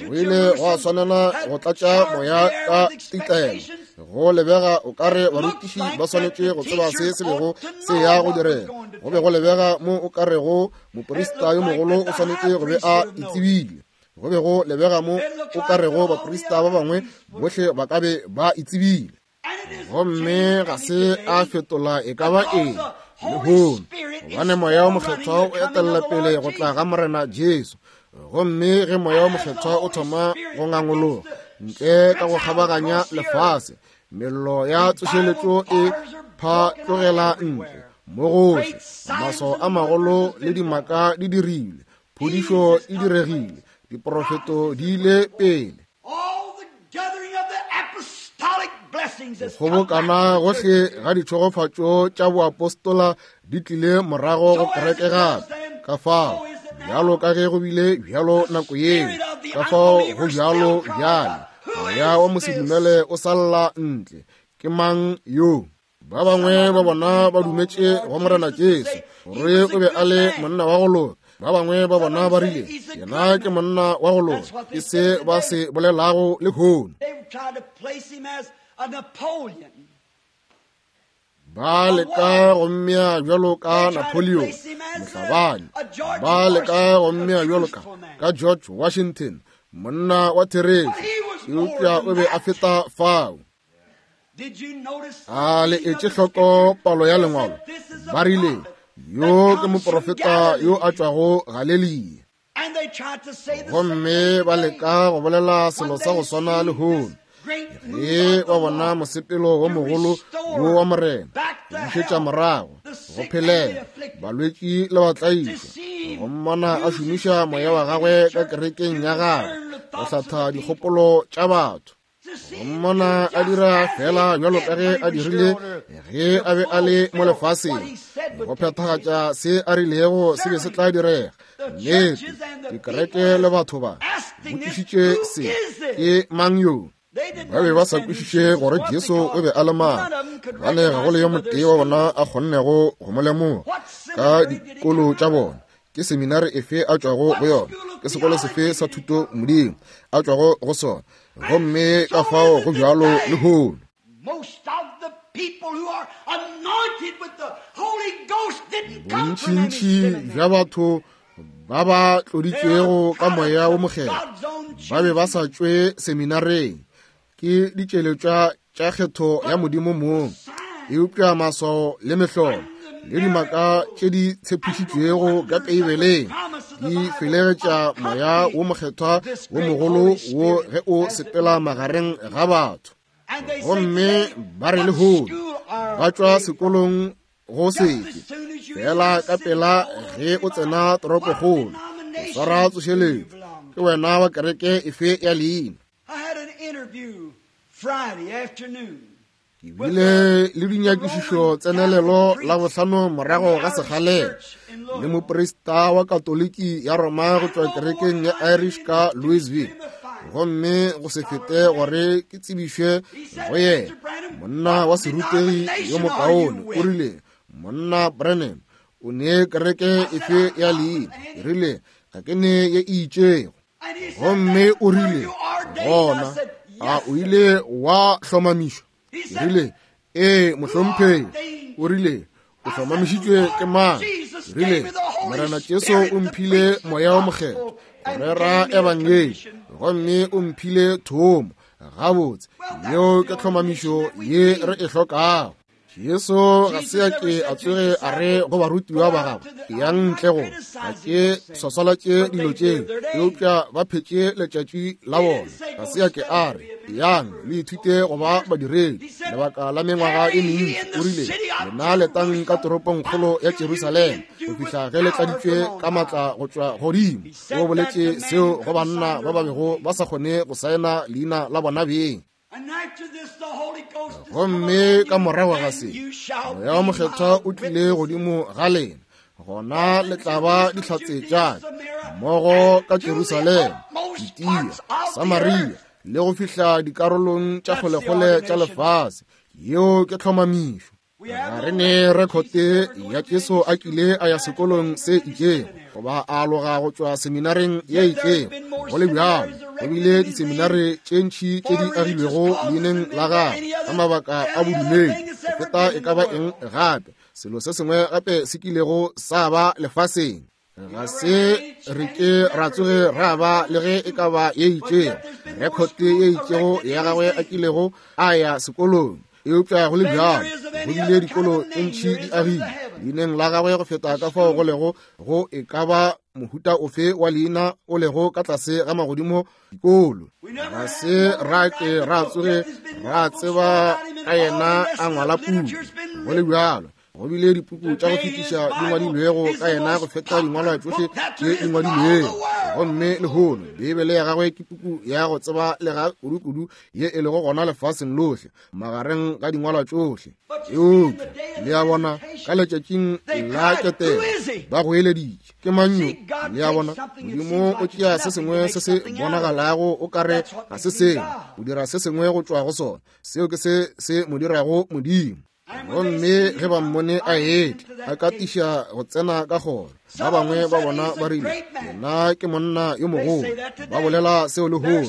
go ile gwa swanela go tlatša moya ka titlelo. Go lebega o ka re barutiši ba swanetše go tseba se se bego se ya go direga. Go be go lebega mo o ka rego moprista yo mogolo o swanetše go be a itsebile. Go be go lebega mo o ka rego baprista ba bangwe bohle ba ka be ba itsebile. Gomme ga se a fetola e ka ba eng lehono, gobane Moya wo Mokgethwa o etelela pele go tla ga Morena Jesu. Gomme ge Moya wo Mokgethwa o thoma go ngangologa ntle ka go kgabaganya lefase, mello ya tsošeletšo e phatlogela ntle mo gohle, maswao a magolo le dimaka di dirilwe, phodišo e diregile, diprofeto di ile pele. Kgobokana gohle ga ditšhegofatšo tša boapostola di tlile morago go kereke gape. Ka fao, bjalo ka ge go bile bjalo nako yeo, ka fao go bjalo bjale. Moya wa mosedumele o sa lla ntle. Ke mang yo? Ba bangwe ba bona ba dumetše go Morena Jesu, gore o be a le monna wa go loka. Ba bangwe ba bona ba rile, yena ke monna wa go loka. Ke se ba se bolelago lehono. Ba leka go mmea bjalo ka Napoleon, mohlabani. Ba leka go mmea bjalo ka George Washington, monna wa therešo. Eupša o be a feta fao. A le etše hloko palo ya lengwalo? Ba rile, yo ke moprofeta yo a tšwago Galelia. Gomme ba leka go bolela selo sa go swana lehono. Ge ba bona mosepelo wo mogolo wo wa Morena, go bušetša morago, go phelela, balwetši le batlaišwa, go mmona a šomiša moya wa gagwe ka kerekeng ya gagwe, go hlatha dikgopolo tša batho. Go mmona a dira fela bjalo ka ge a dirile ge a be a le mo lefaseng, go phethagatša se a rilego se be se tla direga. Nnete, dikereke le batho ba botšišitše se, ke mang yo? Ba be ba sa kwešiše gore Jesu o be a le mang, gobane ga go le yo motee wa bona a kgonnego go mo lemoga ka dikolo tša bona. Ke seminari efe a tšwago go yona? Ke sekolo sefe sa thuto modimo a tšwago go sona? Gomme ka fao go bjalo lehono. Bontšintši bja batho ba ba tloditšwego ka moya wo mokgethwa ba be ba sa tšwe seminareng. Ke ditšweletšwa tša kgetho ya Modimo mong, eupša maswao le mehlolo le dimaka tše di tshepišitšwego ka Beibeleng di felegetša moya wo mokgethwa wo mogolo wo ge o sepela magareng ga batho. Gomme ba re lehono ba tšwa sekolong go sefe, fela ka pela ge o tsena toropokgolo o swara tsošeletšo, ke wena wa kereke efe ya leina? Ke bile le dinyakišišo tsenelelo la bohlano morago ga sekgalela le moprista wa Katoliki ya Roma go tšwa kerekeng ya Irish ka Louisville, gomme go se fete gore ke tsebišwe go yena, monna wa serutegi yo mokaone, o rile, Monna Branham, o ne kereke efe ya leina? Ke rile, ga ke ne ye e itšego. Gomme o rile, gona a o ile wa hlomamišwa? Ke rile, ee, mohlomphegi. O rile, o hlomamišitšwe ke mang? Ke rile, Morena Jesu o mphile moya wo mokgethwa go rera ebangedi, gomme o mphile thomo. Gabotse, yeo ke tlhomamišo ye re e hlokago. Jesu ga se a ke a tsoge a re go barutiwa ba gagwe, yang ntle go ga ke swaswalatše dilo tšeo, eupša ba phetše letšatši la bona. Ga se a ke a re, yang le ithute go ba badiredi lebaka la mengwaga e mentši. O rile, lena letang ka toropongkgolo ya Jerusalema go fihla ge le tladitšwe ka matla go tšwa godimo. O boletše seo go banna ba ba bego ba sa kgone go saena leina la bona beng. Gomme ka morago ga se, Moya wa Mokgethwa o tlile godimo ga lena, gona le tla ba dihlatse tša ka mmogo ka Jerusalema, Judea, Samaria le go fihla dikarolong tša kgolekgole tša lefase. Yeo ke tlhomamišo. Ga re ne rekhote ya Jesu a kile a ya sekolong se itšego goba a aloga go tšwa seminareng ye itšego. Go le bjalo, go bile diseminare tše ntši tše di agilwego leineng la gagwe ka mabaka a bodumedi go feta e ka ba eng gape selo se sengwe gape se kilego sa ba lefaseng. Ga se re ke ra tsoge ra ba le ge e ka ba ye itšego rekhote ye itšego ya gagwe a kilego a ya sekolong, eupša go le bjalo go bile dikolo tše ntši di agile leineng la gagwe go feta ka fao go lego go e ka ba mohuta ofe wa leina o lego ka tlase ga magodimo dikolo. Ga se ra ke ra tsoge ra tseba ka yena a ngwala puku. Go le bjalo Go bile dipuku tša go fetiša di ngwadilwego ka yena go feta dingwalwa tšohle tše di ngwadilwego. Gomme lehono Beibele ya gagwe ke puku ya go tseba lega kudu-kudu ye e lego gona lefaseng lohle magareng ga dingwalwa tšohle. Eupša le a bona, ka letšatšing la ketelo ba goeleditše, ke mang yo? Le a bona, Modimo o tšea se sengwe se se bonagalago o kare ga se sengwe, o dira se sengwe go tšwa go sona. Seo ke se se mo dirago Modimo. Gomme ge ba mmone a etla, a katiša go tsena ka kgoro, ba bangwe ba bona ba rile, yena ke monna yo mogolo. Ba bolela seo lehono.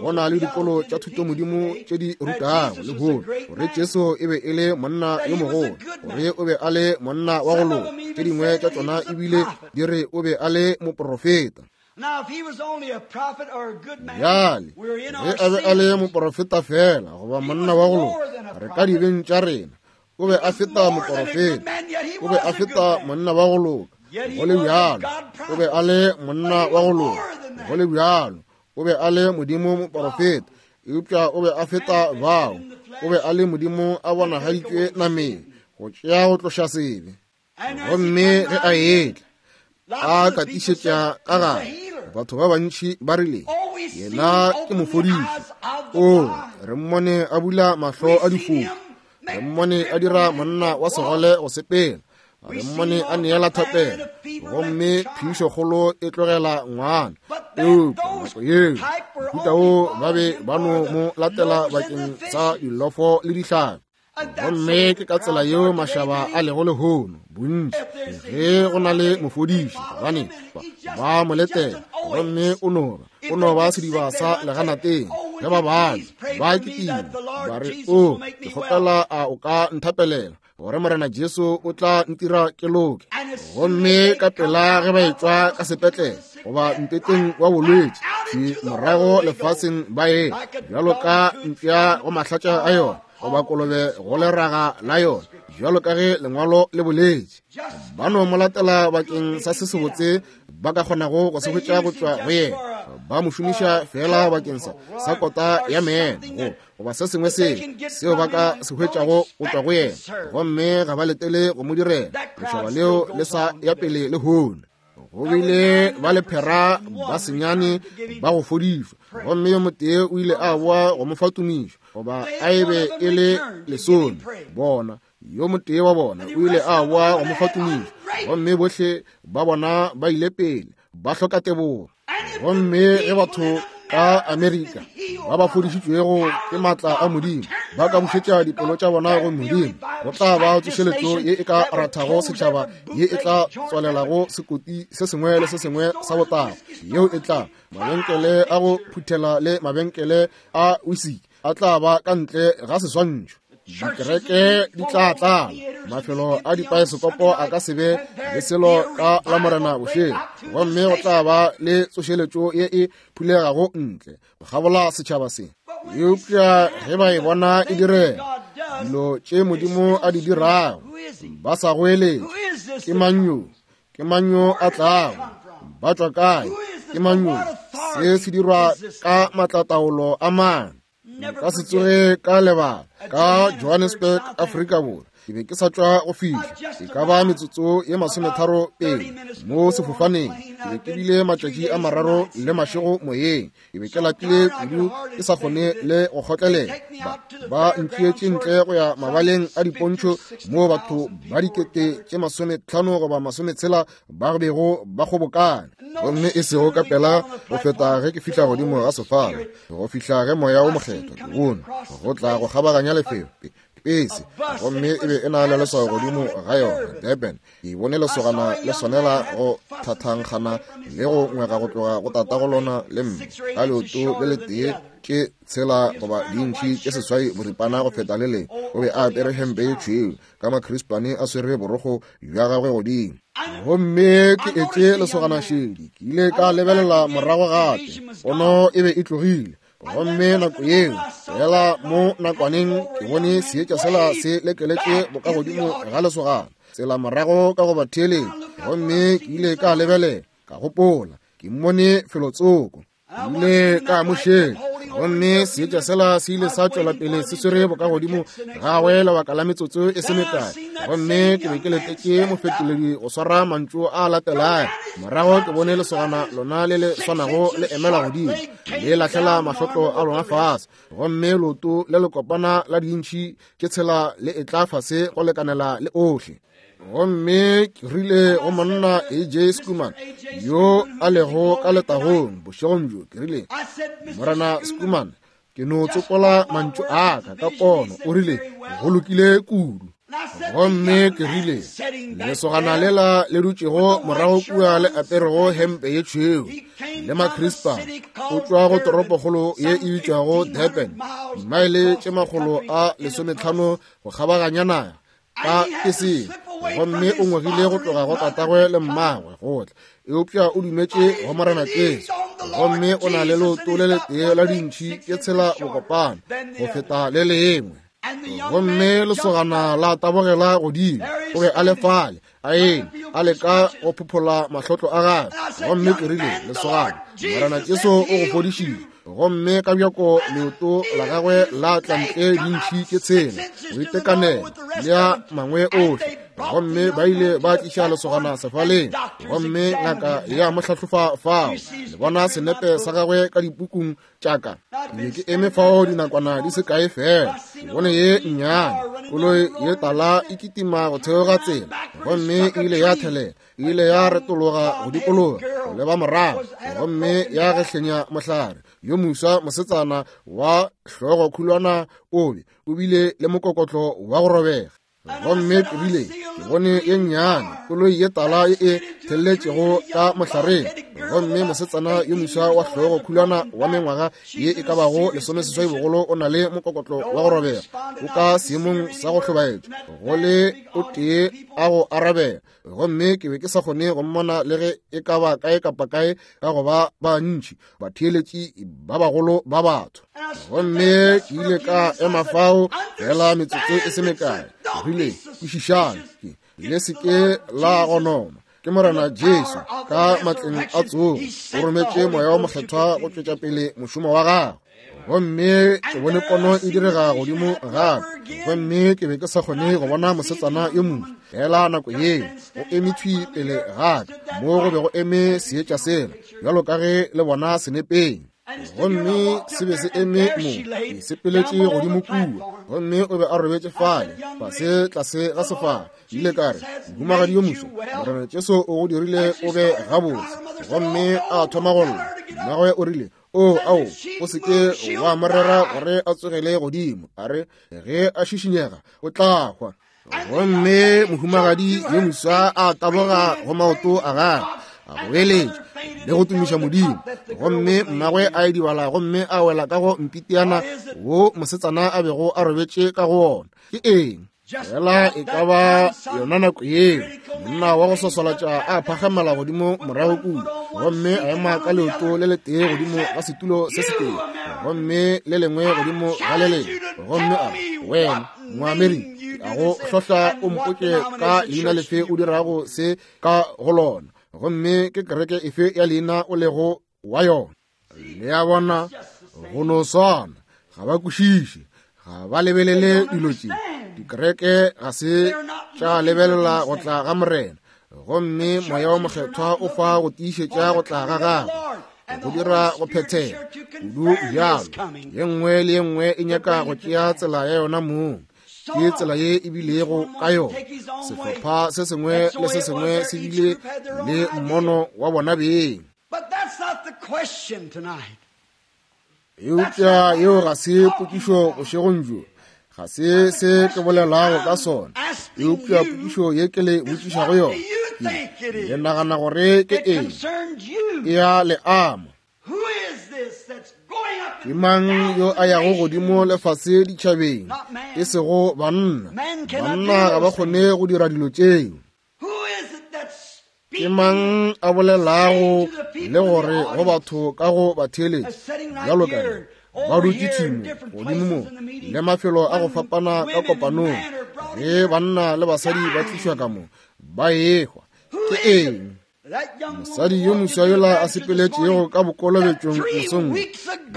Go na le dikolo tša thutomodimo tše di rutago lehono gore Jesu e be e le monna yo mogolo, gore o be a le monna wa go loka. Tše dingwe tša tšona ebile di re o be a le moprofeta. Bjale, ge a be a le moprofeta fela goba monna wa go loka, re ka dibeng tša rena. O be a feta moprofeta, o be a feta monna wa go loka, go le bjalo o be a le monna wa go loka, go le bjalo o be a le Modimo moprofeta, eupša o be a feta bao. O be a le Modimo a bonagaditšwe nameng go tšea go tloša sebe. Gomme ge a etla a katišetša ka gare, batho ba bantši ba rile, yena ke mofodiši. O re mmone a bula mahlo a difofu, re mmone a dira monna wa segole go sepela, re mmone a neela thapelo, gomme phišokgolo e tlogela ngwana. Eupša nako yeo mohuta wo ba be ba no mo latela bakeng sa dilofo le dihlabi. Gomme ke ka tsela yeo mašaba a lego lehono, bontši ge go na le mofodiši, gobane ba mo letela, gomme o no ba sediba sa leganateng. Ge ba bana ba kitima ba re, o ke kgopela a o ka nthapelela gore Morena Jesu o tla ntira ke loke. Gomme ka pela ge ba etšwa ka sepetlele goba mpeteng wa bolwetši, morago lefaseng ba ye bjalo ka mpša go mahlatša a yona, goba kolobe go leraga la yona, bjalo ka ge lengwalo le boletše. Ba no mo latela bakeng sa se sebotse ba ka kgonago go se hwetša go tšwa go yena. Ba mo šomiša fela bakeng sa kota ya meno goba se sengwe seo ba ka se hwetšago go tšwa go yena, gomme ga ba letele go mo direla. Lešaba leo le sa ya pele lehono. Go bile ba lephera ba senyane ba go fodišwa, gomme yo motee o ile a boa go mo fa tumišo, goba a e be e le lesome. Bona, yo motee wa bona o ile a boa go mo fa tumišo, gomme bohle ba bona ba ile pele ba hloka tebogo. Gomme ge batho ka Amerika ba ba fodišitšwego ke maatla a Modimo ba ka bušetša dipelo tša bona go Modimo, go tla ba tsošeletšo ye e ka rathago setšhaba, ye e tla tswalelago sekoti se sengwe le se sengwe sa botago, yeo e tla mabenkele a go phuthela le mabenkele a wisiki a tla ba ka ntle ga seswantšho. Dikereke di tla tlala, mafelo a dipaesekopo a ka se be le selo ka la Morena bošego, gomme go tla ba le tsošeletšo ye e phulegago ntle go kgabola setšhaba se. Eupša ge ba e bona e direga, dilo tše Modimo a di dirago, ba sa goeletše, ke mang yo? Ke mang yo a tlago? Ba tšwa kae? Ke mang yo? Se se dirwa ka matlataolo a mang? Nka se tsoge ka lebala ka Johannesburg, Afrika Borwa. Ke be ke sa tšwa go fihla e ka ba metsotso ye 30 pele mo sefofaneng. Ke be ke bile matšatši a 3 le mašego moyeng. Ke be ke lapile kudu ke sa kgone le go kgotlelela. Ba ntšeetše ntle go ya mabaleng a dipontšho moo batho ba 50,000 goba 60 ba bego ba kgobokane. Gomme e sego ka pela go feta ge ke fihla godimo ga sefala, go fihla ge moya o mokgethwa ke bone go tla go kgabaganya lefelo pese, gomme e be e na le leswao godimo ga yona, Durban. Ke bone lesogana le swanela go thathankgana le go ngwega go tloga go tatago lona le mme ka leoto le letee tše 6 goba dintšhi tše 8 boripana go feta le lengwe. O be a apere hempe ye tšhweu ka makrispane a swere borokgo bja gagwe godimo. Gomme ke etše lesogana šedi, ke ile ka lebelela morago gape, pono e be e tlogile. Gomme nako yeo fela mo nakwaneng ke bone seetša sela se lekeletše bokagodimo ga lesogana tsela morago ka go ba theeletša. Gomme ke ile ka lebelela, ka gopola ke mmone felotsoko. Ke ile ka mo šetša, gomme seetša sela se ile sa tšwela pele se swere bokagodimo gagwe lebaka la metsotso e se mekae. Gomme ke be ke letetše mofetoledi go swara mantšu a latelago. Morago ke bone lesogana lona le le swanago le emela godimo, le lahlela mahlotlo a lona fase, gomme leoto le lekopana la dintšhi tše tshela le etla fase go lekanela le ohle. Gomme ke rile go monna AJ Schoeman yo a lego ka letagong bošegong bjo, ke rile, Morena Schoeman, ke no tsopola mantšu a ka ka pono. O rile, go lokile kudu. Gomme ke rile, lesogana lela le dutšego morago kua le aperego hempe ye tšhweu le makrispa, o tšwa go toropokgolo ye e bitšwago Durban, dimaele tše 150 go kgabaganya naga ka keseng, gomme o ngwegile go tloga go tatagwe le mmagwe go tla, eupša o dumetše go Morena Jesu, gomme o na le leoto le letee la dintšhi tše tshela bokopana go feta le lengwe. Gomme lesogana la tabogela godimo, o be a le fale a eme a leka go phophola mahlotlo a gagwe. Gomme ke rile, lesogana, Morena Jesu o go fodišitše. Gomme ka bjako leoto la gagwe la tla ntle dintšhi tše tshela go itekanela le a mangwe ohle. Gomme ba ile ba tliša lesogana sefaleng, gomme ngaka ya mo hlahlofa fao. Le bona senepe sa gagwe ka dipukung tša ka. Ke be ke eme fao dinakwana di se kae fela, ke bone ye nnyane koloi ye tala e kitima go theoga tsela, gomme e ile ya thelela, e ile ya retologa go dikologa go leba morago, gomme ya gehlenya mohlare. Yo moswa mosetsana wa hlogo khulwana o be o bile le mokokotlo wa go robega. Gomme ke rile, ke bone ye nnyane koloi ye tala ye e thelletšego ka mohlareng, gomme mosetsana yo moswa wa hlogo khulwana wa mengwaga ye e ka bago 18 bogolo o na le mokokotlo wa go robega, o ka seemong sa go hlobaetša go le o tee a go arabela. Gomme ke be ke sa kgone go mmona le ge e ka ba kae kapa kae ka go ba bantši batheeletši ba bagolo ba batho. Gomme ke ile ka ema fao fela metsotso e se mekae. Ke rile, kwešišang, le se ke la gonoma. Ke Morena Jesu ka matleng a tsogo o rometše Moya wa Mokgethwa go tšwetša pele mošomo wa gagwe. Gomme ke bone pono e direga godimo gape, gomme ke be ke sa kgone go bona mosetsana yo moswa fela nako yeo o eme thwi pele gaka mo go be go eme seetša sela bjalo ka ge le bona senepeng. Gomme se be se eme mo, ke sepeletše godimo kua, gomme o be a robetše fale fase tlase ga sefala. Ke ile ka re, mohumagadi yo moswa, Morena Jesu o go dirile o be gabotse. Gomme a thoma go lla. Mmagwe o rile, o ao, o se ke wa mo rera gore a tsogele godimo. A re, ge a šišinyega o tla hwa. Gomme mohumagadi yo moswa a taboga go maoto a gagwe, a goeletša le go tumiša Modimo. Gomme mmagwe a idibala gomme a wela ka go mpitiana wo mosetsana a bego a robetše ka go wona. Ke eng? Fela e ka ba yona nako yeo monna wa go swaswalatša a phagamela godimo morago kua, gomme a ema ka leoto le letee godimo ga setulo se setee, gomme le lengwe godimo ga le lengwe, gomme a re, wena Moamerika, ke a go hlohla o mpotše ka leina lefe o dirago se ka go lona, gomme ke kereke efe ya leina o lego wa yona. Le a bona, go no swana, ga ba kwešiše, ga ba lebelele dilo tše. Dikereke ga se tša lebelela go tla ga Morena, gomme Moya wa Mokgethwa o fa go tiišetša go tla ga gagwe, go dira go phethega kudu bjalo. Ye nngwe le ye nngwe e nyaka go tšea tsela ya yona mong. Ke tsela ye e bilego ka yona. Sehlopha se sengwe le se sengwe se bile le mmono wa bona beng. But that's not the question tonight. Eupša yeo ga se potšišo bošegong bjo. Ga se se ke bolelago ka sona. Eupša potšišo ye ke le botšišago yona, ke, le nagana gore ke eng? E a le ama. Who is this that's going up Ke mang yo a yago godimo lefase ditšhabeng? E sego banna. Banna ga ba kgone go dira dilo tšeo. Who is it that's Ke mang a bolelago le gore go batho ka go batheeletši bjalo ka ge ba dutše thimo godimo mo le mafelo a go fapana ka kopanong, ge banna le basadi ba tlišwa ka mo ba ehwa? Ke eng? Mosadi yo moswa yola a sepeletšego ka bokolobetšong mosong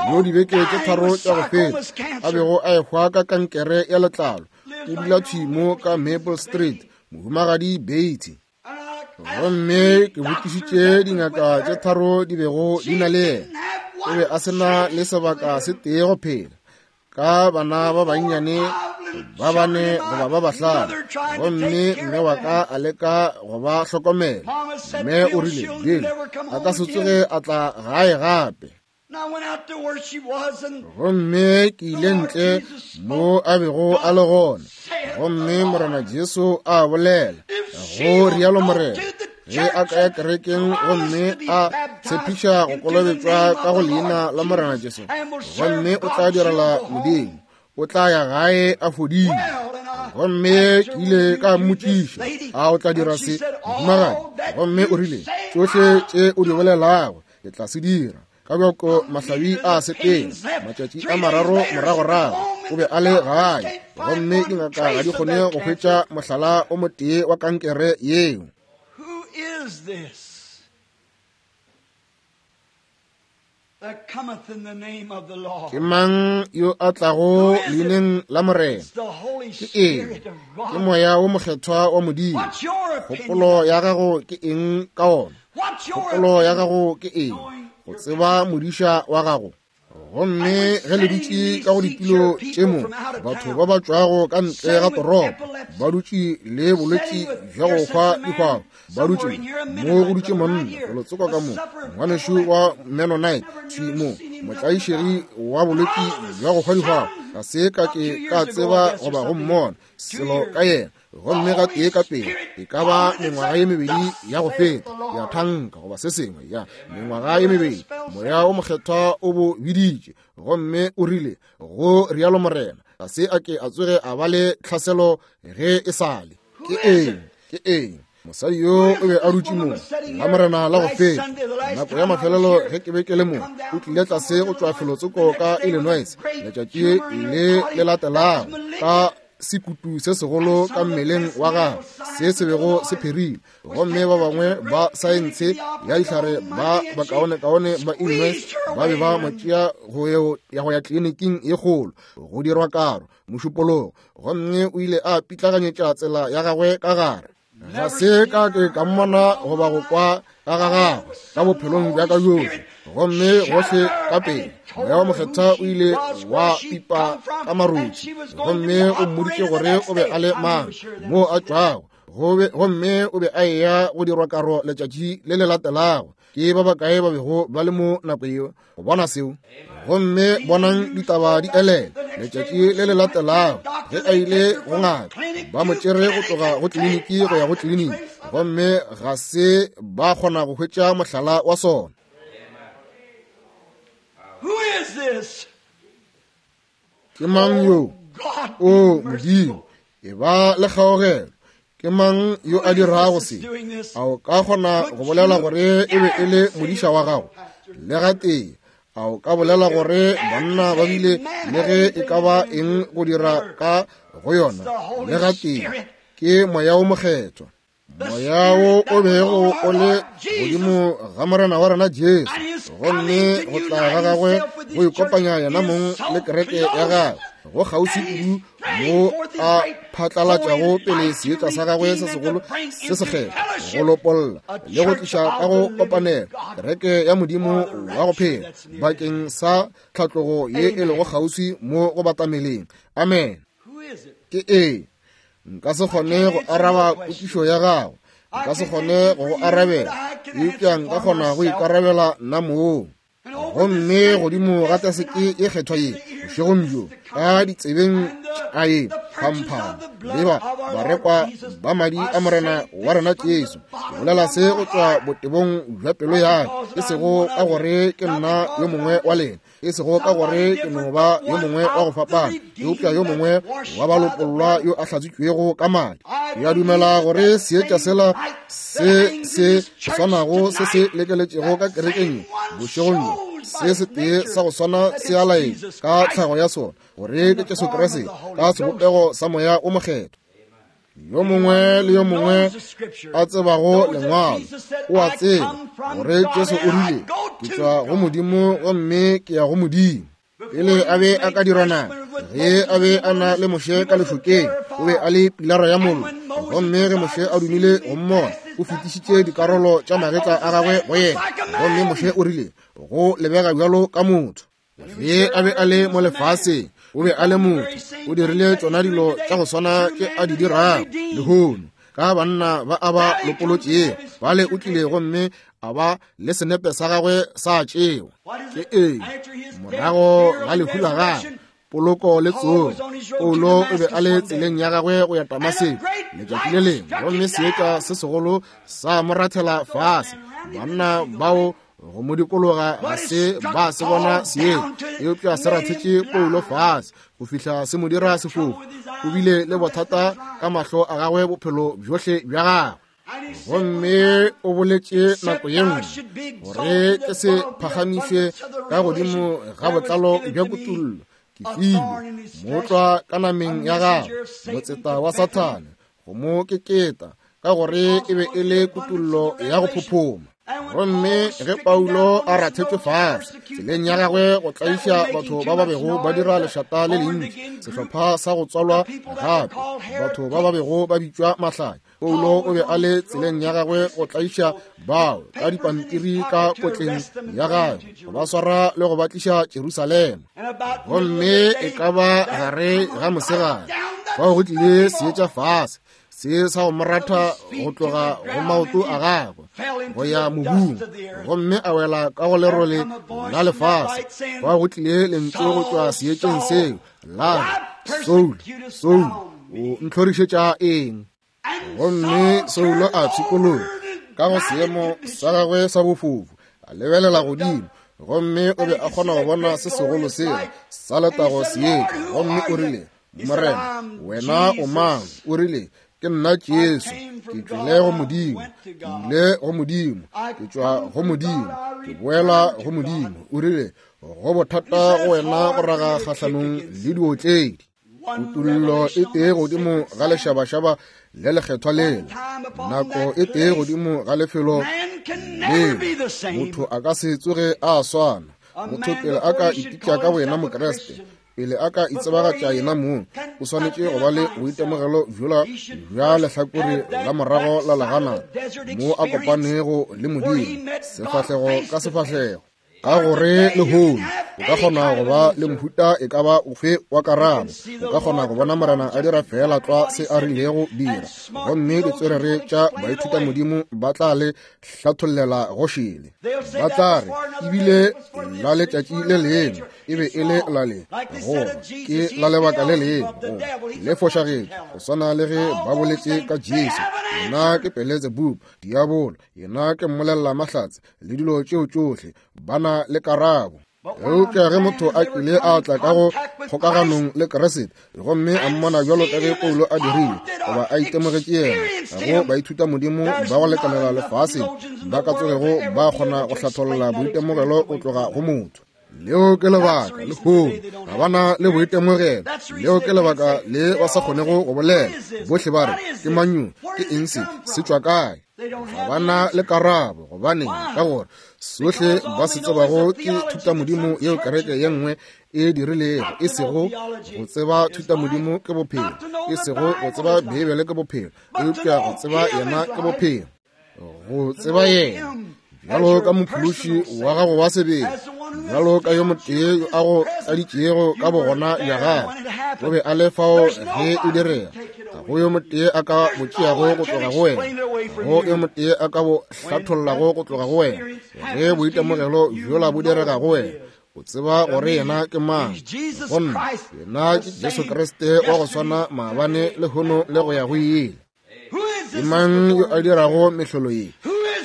yo dibeke tše tharo tša go feta a bego a ehwa ka kankere ya letlalo, o dula thwi mo ka Maple Street, Mohumagadi Beatty. Gomme ke botšišitše dingaka tše tharo di bego di na le yena. O be a se na le sebaka se tee go phela, ka bana ba bannyane ba bane goba ba bahlano. Gomme mme wa ka a leka go ba hlokomela. Mme o rile, Bill a ka se tsoge a tla gae gape. Gomme ke ile ntle mo a bego a le gona, gomme Morena Jesu a bolela, go rialo Morena, ge a ka ya kerekeng gomme a tshepiša go kolobetšwa ka go leina la Morena Jesu, gomme o tla direla Modimo, o tla ya gae a fodile. Gomme ke ile ka mmotšiša, a o tla dira se, mohumagadi? Gomme o rile, tšohle tše o di bolelago ke tla se dira. Ka bjako mahlabi a sepela, matšatši a mararo moragorago o be a le gae, gomme dingaka ga di kgone go hwetša mohlala o motee wa kankere yeo. Who is this that cometh in the name of the Lord? Ke mang yo a tlago leineng la Morena? It's the Holy Ke eng? Spirit of Ke God. moya wo mokgethwa wa Modimo. What's your opinion? Kgopolo ya gago ke eng ka ona? What's your Kgopolo ya opinion? gago ke eng go tseba modiša wa gago? Gomme ge le dutše ka go ditulo tše mo, batho ba ba tšwago ka ntle ga toropo ba dutše le bolwetši bja go hwa dihwao, ba dutše mo, go dutše monna felotsoko ka mo, ngwanešu wa Mennonite thwi mo, motlaišegi wa bolwetši bja go hwa dihwao, ga se ka ke ka tseba goba go mmona selo ka yena. Gomme ga tee ka pele, e ka ba mengwaga ye mebedi ya go feta, ya thanka goba se sengwe, ya mengwaga ye mebedi, moya o mokgethwa o bo biditše, gomme o rile, go rialo Morena, ga se a ke a tsoge a ba le tlhaselo ge e sale. Ke eng? Ke eng? Mosadi yo o be a dutše mo la Morena la go feta, nako ya mafelelo ge ke be ke le mo, o tlile tlase go tšwa felotsoko ka Illinois letšatši le le latelago, ka sekutu se segolo ka mmeleng wa gagwe se se bego se pherile. Gomme ba bangwe ba saense ya dihlare ba bakaonekaone ba Illinois ba be ba mo tšea go ya go ya tleliniking ye kgolo go dirwa karo mošupologo, gomme o ile a pitlaganyetša tsela ya gagwe ka gare. Ga se ka ke ka mmona goba go kwa ka ga gagwe ka bophelong bja ka bjohle. Gomme gohle ka pele moya wa mokgethwa o ile wa pipa ka marothi, gomme o mmoditše gore o be a le mang, moo a tšwago, gomme o be a eya go dirwa karo letšatši le le latelago. Ke ba bakae ba bego ba le mo nako yeo go bona seo? Gomme bonang ditaba di elela letšatši le le latelago ge a ile go ngaka, ba mo tšere go tloga go tleliniki go ya go tleliniki, gomme ga se ba kgona go hwetša mohlala wa sona. Who is this? Ke mang yo? God be O merciful. Modimo, e ba le kgaogelo. Ke mang yo a dirago se? A o ka kgona go bolela gore e be e le modiša wa gago? Le gatee, a o ka bolela gore banna ba bile le ge e ka ba eng go dira ka go yona? Le gatee, ke moya o mokgethwa. Moya wo o bego o le godimo ga Morena wa rena Jesu, gomme go tla ga gagwe go ikopanya yena mong le kereke ya gagwe go kgauswi kudu mo a phatlalatšago pele seetša sa gagwe se segolo se sekgethwa go lopolla le go tliša ka go kopanelo kereke ya Modimo wa go phela bakeng sa tlhatlogo ye e lego kgauswi mo go batameleng. Amen. Who is it? Ke eng? Nka se kgone go araba potšišo ya gago, nka se kgone go go arabela, eupša nka kgona go ikarabela nna mong. Gomme godimo ga taseke e kgethwa ye bošegong bjo, ka ditsebeng tša ye phamphamo le ba barekwa ba madi a Morena wa rena Jesu, ke bolela se go tšwa botebong bja pelo ya ka, e sego ka gore ke nna yo mongwe wa lena, e sego ka gore ke no ba yo mongwe wa go fapana, eupša yo mongwe wa balopollwa yo a hlatswitšwego ka madi. Ke a dumela gore seetša sela se se swanago se se lekeletšego ka kerekeng bošegong bjo, se setee sa go swana se a laetša ka tlhago ya sona gore ke Jesu Kriste ka sebopego sa moya o mokgethwa. Yo mongwe le yo mongwe a tsebago lengwalo o a tseba gore Jesu o rile, ke tšwa go Modimo gomme ke ya go Modimo. Pele a be a ka dira nama, ge a be a na le Moshe ka lešokeng, o be a le pilara ya mollo. Gomme ge Moshe a dumile go mmona, o fetišitše dikarolo tša magetla a gagwe go yena. Gomme Moshe o rile, Go lebega bjalo ka motho. Ge a be a le mo lefaseng, o be a le motho. O dirile tšona dilo tša go swana tše a di dirago lehono ka banna ba a ba lopolotšego. Bale o tlile gomme a ba le senepe sa gagwe sa tšewa. Ke eng? Morago ga lehu la gagwe, poloko le tsogo, Paulo o be a le tseleng ya gagwe go ya Damaseko letšatši le lengwe, gomme seetša se segolo sa mo rathela fase. Banna bao go mo dikologa ga se ba se bona seetša, eupša se rathetše Paulo fase go fihla se mo dira sefofu. O bile le bothata ka mahlo a gagwe bophelo bjohle bja gagwe. Gomme o boletše nako ye nngwe gore ke se phagamišwe ka godimo ga botlalo bja kutullo, ke filwe mootlwa ka nameng ya gagwe, motseta wa Sathane, go mo keketa, ka gore e be e le kutullo ya go phophoma. Gomme ge Paulo a rathetšwe fase tseleng ya gagwe go tlaiša batho ba ba bego ba dira lešata le lentši, sehlopha sa go tswalwa gape, batho ba ba bego ba bitšwa mahlanya, Paulo o be a le tseleng ya gagwe go tlaiša bao ka dipampiri ka kotleng ya gagwe, go ba swara le go ba tliša Jerusalema. Gomme e ka ba gare ga mosegare fao go tlile seetša fase se sa go mo ratha go tloga go maoto a gagwe go ya mobung, gomme a wela ka go lerole la lefase. Fao go tlile lentswe go tšwa seetšeng seo la re, Saul, Saul, o ntlhorišetša eng? Gomme Saulo a pshikologa ka go seemo sa gagwe sa bofofu, a lebelela godimo, gomme o be a kgona go bona se segolo sela sa letago seetša. Gomme o rile, Morena, wena o mang? O rile, Ke nna Jesu, ke tšwele go Modimo, ke ile go Modimo, ke tšwa go Modimo, ke boela go Modimo. O rile, Go bothata go wena go raga kgahlanong le diotledi. Kutullo e tee godimo ga lešabašaba le lekgethwa lela, nako e tee godimo ga lefelo leo, motho a ka se tsoge a swana. Motho pele a ka ipitša ka boyena Mokriste, pele a ka itsebagatša yena mong, o swanetše go ba le boitemogelo bjola bja lehlakore la morago la legana mo a kopanego le Modimo sefahlego ka sefahlego. Ka gore lehono o ka kgona go ba le mohuta e ka ba ofe wa karabo, o ka kgona go bona Morena a dira feela tlwa se a rilego dira, gomme ditswerere tša baithutamodimo ba tla le hlathollela go šele. Ba tla re ebile la letšatši le lengwe e be e le la le, goba ke la lebaka le lengwe, goba le fošagetše, go swana le ge ba boletše ka Jesu, yena ke Beelzebub, diabolo, yena ke mmolelela mahlatse le dilo tšeo tšohle. Ba na le karabo. Eupša ge motho a kile a tla ka go kgokaganong le Kriste gomme a mmona bjalo ka ge Paulo a dirile, goba a itemogetše yena, ga go baithutamodimo ba go lekanela lefaseng ba ka tsogego ba kgona go hlatholla boitemogelo go tloga go motho. Leo ke lebaka lehono ga ba na le boitemogelo. Leo ke lebaka le ba sa kgonego go bolela. Bohle ba re, Ke mang yo? Ke eng se? Se tšwa kae? Ga ba na le karabo. Gobaneng? Ka gore sohle ba se tsebago ke thutamodimo yeo kereke ye nngwe e dirilego, e sego go tseba thutamodimo ke bophelo, e sego go tseba Beibele ke bophelo, eupša go tseba yena ke bophelo. Go tseba yena bjalo ka mophološi wa gago wa sebele, bjalo ka yo motee yo a go tladitšego ka bogona bja gagwe, o be a le fao ge e direga. Ga go yo motee a ka bo tšeago go tloga go wena, ga go yo motee a ka bo hlathollago go tloga go wena. Ge boitemogelo bjola bo direga go wena, o tseba gore yena ke mang. Gomme yena ke Jesu Kriste wa go swana maabane, lehono le go ya go ile. Ke mang yo a dirago mehlolo ye?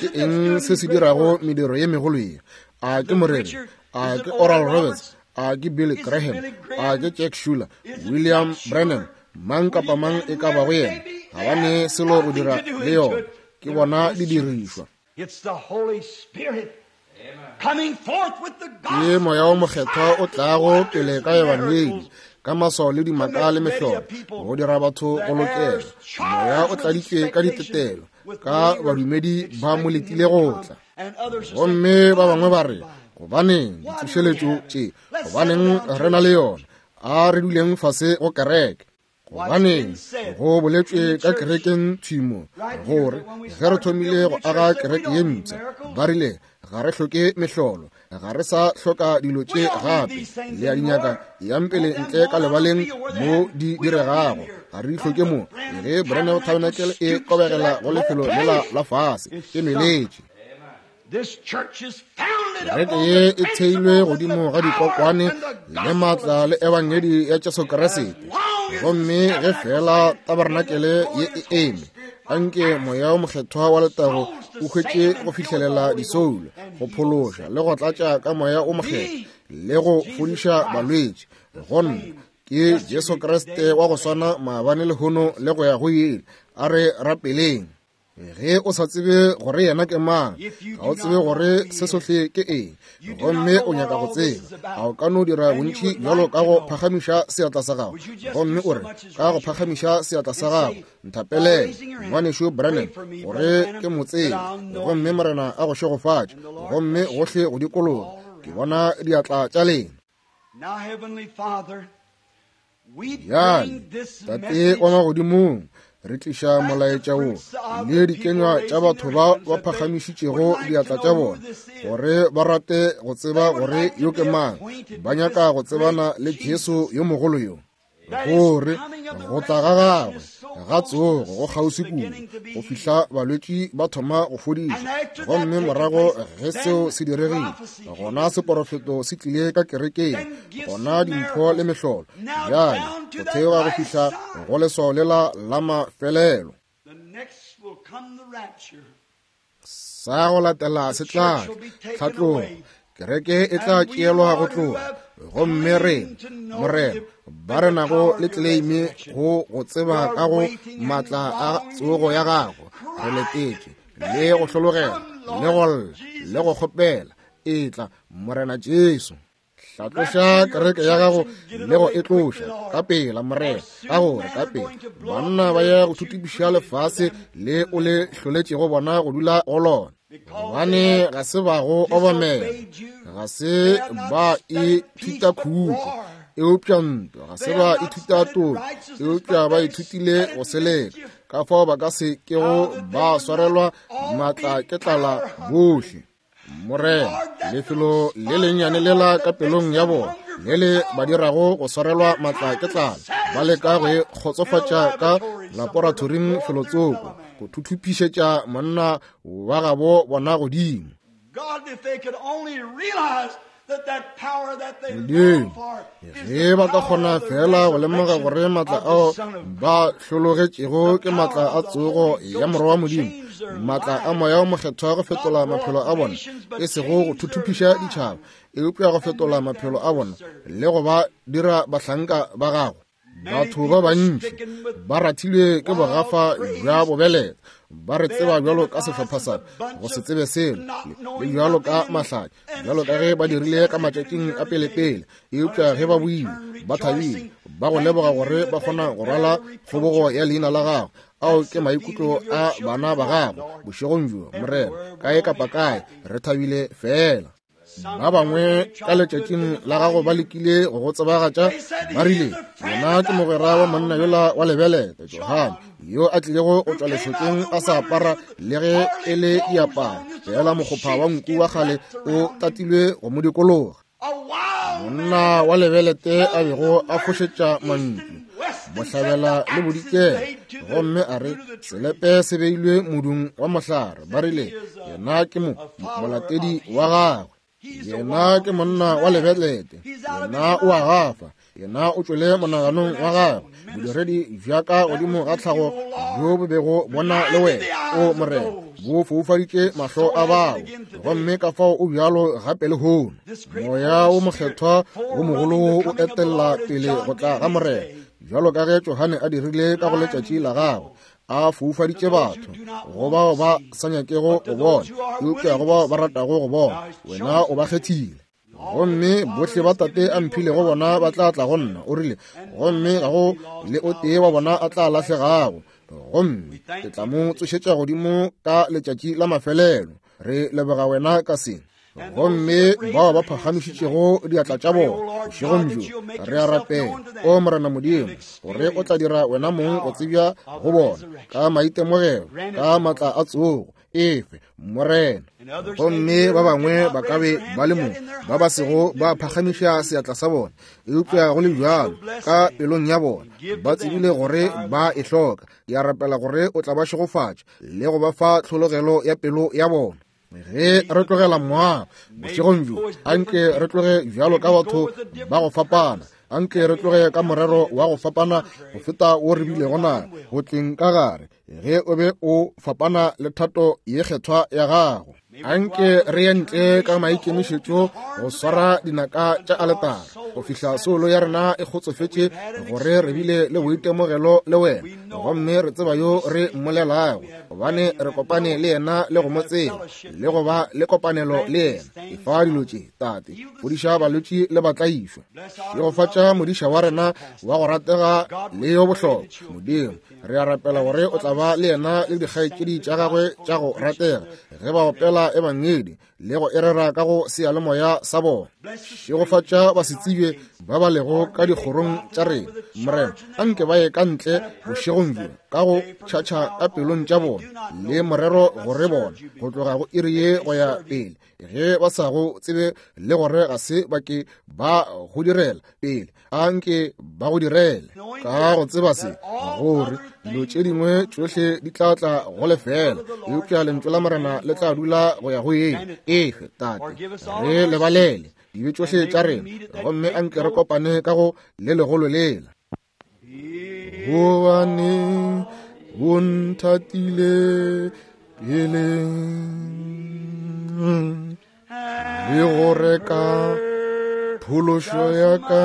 Ke eng se se dirago mediro ye megolo ye? A ke moreri? A ke Oral Roberts? A ke Billy Graham? A ke Jack Schuler? William Branham? Mang kapa mang e ka bago yena, ga ba ne selo go dira le yona. Ke bona didirišwa. Ke Moya wo Mokgethwa o tlago pele ka Ebangedi, ka maswao le dimaka le mehlolo, go dira batho go lokela. Moya o tladitšwe ka ditetelo, ka badumedi ba mo letile go tla. Gomme ba bangwe ba re, Gobaneng ditsošeletšo tše? Gobaneng re na le yona? A re duleng fase go kereke. Gobaneng go boletšwe ka kerekeng thwimo gore ge re thomile go aga kereke ye mpsha, ba rile ga re hloke mehlolo, ga re sa hloka dilo tše gape. Le a di nyaka, yang pele ntle ka lebaleng mo di diregago. Ga re di hloke mo. Ge Branham Tabernacle e kobegela go lefelo lela la fase, e nweletše. Kereke ye e theilwe godimo ga dikokwane le maatla le ebangedi ya Jesu Kriste. Gomme ge fela tabernacle ye e eme, anke moya o mokgethwa wa letago o hwetše go fihlelela disoulo, go phološa le go tlatša ka moya o mokgethwa le go fodiša balwetši. Go nna ke Jesu Kriste wa go swana maabane, lehono le go ya go ile. A re rapeleng. Ge o sa tsebe gore yena ke mang, ga o tsebe gore se sohle ke eng, gomme o nyaka go tseba, a o ka no dira bontši bjalo ka go phagamiša seatla sa gago, gomme o re, ka go phagamiša seatla sa gago, nthapelele, Ngwanešu Branham, gore ke mo tsebe, gomme Morena a go šegofatše, gomme gohle go dikologa, ke bona diatla tša lena. Bjale, Tate wa Magodimong, re tliša molaetša wo le dikenywa tša batho ba ba phagamišitšego diatla tša bona gore ba rate go tseba gore yo ke mang. Ba nyaka go tsebana le Jesu yo mogolo yo, gore go tla ga gagwe ga tsogo go kgauswi kudu go fihla balwetši ba thoma go fodišwa. Gomme morago ge seo se diregile, gona seporofeto se tlile ka kerekeng, gona dimpho le mehlolo bjale go theoga go fihla go leswao lela la mafelelo. Sa go latela se tla tlhatlogo, kereke e tla tšeelwa go tloga. Gomme re, Morena, ba re nago le tleleime go go tseba ka go maatla a tsogo ya gago, re letetše le go hlologela le go lla le go kgopela, etla Morena Jesu. Hlatloša kereke ya gago le go e tloša ka pela, Morena, ka gore ka pela banna ba ya go thuthupiša lefase le o le hloletšego bona go dula go lona. Gobane ga se ba go obamela, ga se ba ithuta khutšo, eupša ntwa, ga se ba ithuta toka, eupša ba ithutile go seleka. Ka fao ba ka se kego ba swarelwa maatla ke tlala bohle. Morena, lefelo le lennyane lela ka pelong ya bona le le ba dirago go swarelwa maatla ke tlala, ba leka go e kgotsofatša ka laboratoring felotsoko, go thuthupišetša monna wa gabo bona godimo. Modimo, ge ba ka kgona fela go lemoga gore maatla ao ba hlologetšego ke maatla a tsogo ya Morwa wa Modimo, maatla a Moya o Mokgethwa go fetola maphelo a bona, e sego go thuthupiša ditšhaba, eupša go fetola maphelo a bona le go ba dira bahlanka ba gagwe. Batho ba bantši ba rathilwe ke bogafa bja bobeleta, ba re tseba bjalo ka sehlopha sa go se tsebe selo, le bjalo ka mahlatša, bjalo ka ge ba dirile ka matšatšing a pelepele. Eupša ge ba boile ba thabile, ba go leboga gore ba kgona go rwala kgobogo ya leina la gago. Ao ke maikutlo a bana ba gago bošegong bjo, Morena, kae kapa kae, re thabile fela. Ba bangwe ka letšatšing la gago ba lekile go go tsebagatša, ba rile, Yena ke mogwera wa monna yola wa lebelete, Johane, yo a tlilego go tšwa lešokeng a sa apara le ge e le diaparo, fela mokgopha wa nku wa kgale o tatilwe go mo dikologa. Monna wa lebelete a bego a fošetša mantšu bohlabela le bodikela, gomme a re selepe se beilwe modung wa mohlare. Ba rile, Yena ke mo molatedi wa gagwe, yena ke monna wa lebelete, yena o a gafa, yena o tšwele monaganong wa gagwe bodiredi bja ka godimo ga tlhago bjo bo bego bona le wena, o Morena, bo foufaditše mahlo a bao, gomme ka fao o bjalo gape lehono. Moya wo Mokgethwa wo mogolo o etella pele go tla ga Morena, bjalo ka ge Johane a dirile ka go letšatši la gagwe, a foufaditše batho go bao ba sa nyakego go bona, eupša go bao ba ratago go bona, wena o ba kgethile. Gomme bohle ba Tate a mphilego bona ba tla tla go nna, o rile, gomme ga go le o tee wa bona a tla lahlegago, gomme ke tla mo tsošetša godimo ka letšatši la mafelelo. Re leboga wena ka se. Gomme bao ba phagamišitšego diatla tša bona bošegong bjo, re a rapela, O Morena Modimo, gore o tla dira wena mong go tsebja go bona ka maitemogelo, ka maatla a tsogo. Efe, Morena. Gomme ba bangwe ba ka be ba le mo ba ba sego ba phagamiša seatla sa bona, eupša go le bjalo ka pelong ya bona ba tsebile gore ba e hloka. Ke a rapela gore o tla ba šegofatša le go ba fa tlhologelo ya pelo ya bona. Ge re tlogela moago bošegong bjo, anke re tloge bjalo ka batho ba go fapana, anke re tloge ka morero wa go fapana go feta wo re bilego na go tleng ka gare, ge o be o fapana le thato ye kgethwa ya gago. Anke re ye ntle ka maikemišetšo go swara dinaka tša aletara go fihla soulo ya rena e kgotsofetše gore re bile le boitemogelo le wena, gomme re tseba yo re mmolelago, gobane re kopane le yena le go mo tseba le go ba le kopanelo le yena. Efa dilo tše, Tate. Fodiša balwetši le batlaišwa. Šegofatša modiša wa rena wa go ratega le yo bohlokwa. Modimo, re a rapela gore o tla ba le yena le dikgaetšedi tša gagwe tša go ratega ge ba opela ebangedi le go e rera ka go seyalemoya sa bona. Šegofatša basetsebje ba ba lego ka dikgorong tša rena, Morena, anke ba ye ka ntle bošegong bjo ka go tšhatšha ka pelong tša bona le morero gore bona go tloga go iri ye go ya pele, ge ba sa go tsebe le gore ga se ba ke ba go direla pele, a nke ba go direle ka go tseba se, gore dilo tše dingwe tšohle di tla tla go lefela, eupša lentšu la Morena le tla dula go ya go eng. Efe, Tate, re lebalele dibe tšohle tša rena, gomme a nke re kopane ka go le legolo lela. Gobane o nthatile pele le go reka phološo ya ka.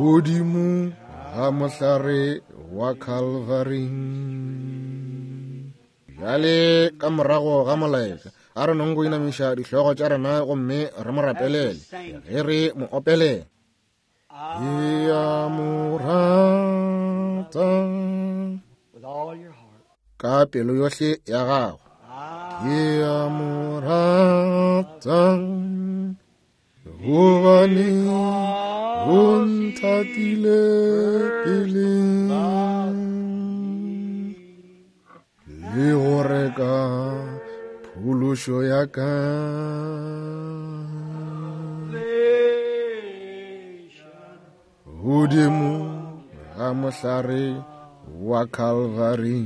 Godimo ga mohlare wa Calvary. Bjale ka morago ga molaetša, a re nong go inamiša dihlogo tša rena gomme re mo rapelele ge re mo opelela. Ke a mo rata ka pelo yohle ya gago. Ke a mo rata gobane o nthatile pele le go reka phološo ya ka. Godimo ga mohlare wa Calvary.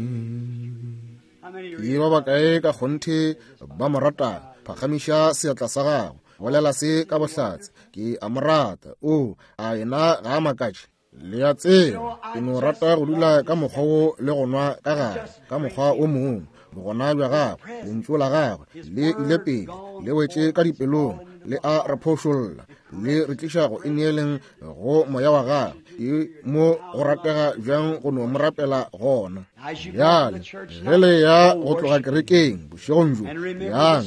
Ke ba bakae ka kgonthe ba mo ratang? Phagamiša seatla sa gago, bolela se ka bohlatse, ke a mo rata. O, a yena ga a makatše? Le a tseba, ke no rata go dula ka mokgwa wo le go nwa ka gare ka mokgwa o mongwe. Bogona bja gagwe, lentšu la gagwe le ile pele, le wetše ka dipelong, le a re phošolla, le re tliša go ineeleng go moya wa gagwe. Ke mo go ratega bjang go no mo rapela gona. Bjale ge le ya go tloga kerekeng bošegong bjo, yang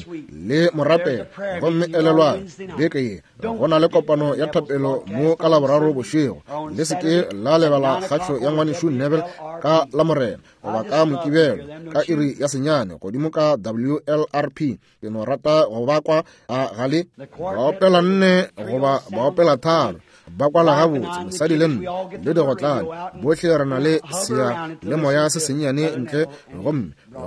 le mo rapela. Gomme elelwang, beke ye go na le kopano ya thapelo mo ka Laboraro bošego. Le se ke la lebala kgatšo ya ngwanešu Neville ka Lamorena goba ka Mokibelo ka iri ya 9 godimo ka WLRP. Ke no rata go ba kwa a gale ba opela 4 goba ba opela 3, ba kwala gabotse, mosadi le nna le digotlane bohle re na le sea le moya se sennyane ntle,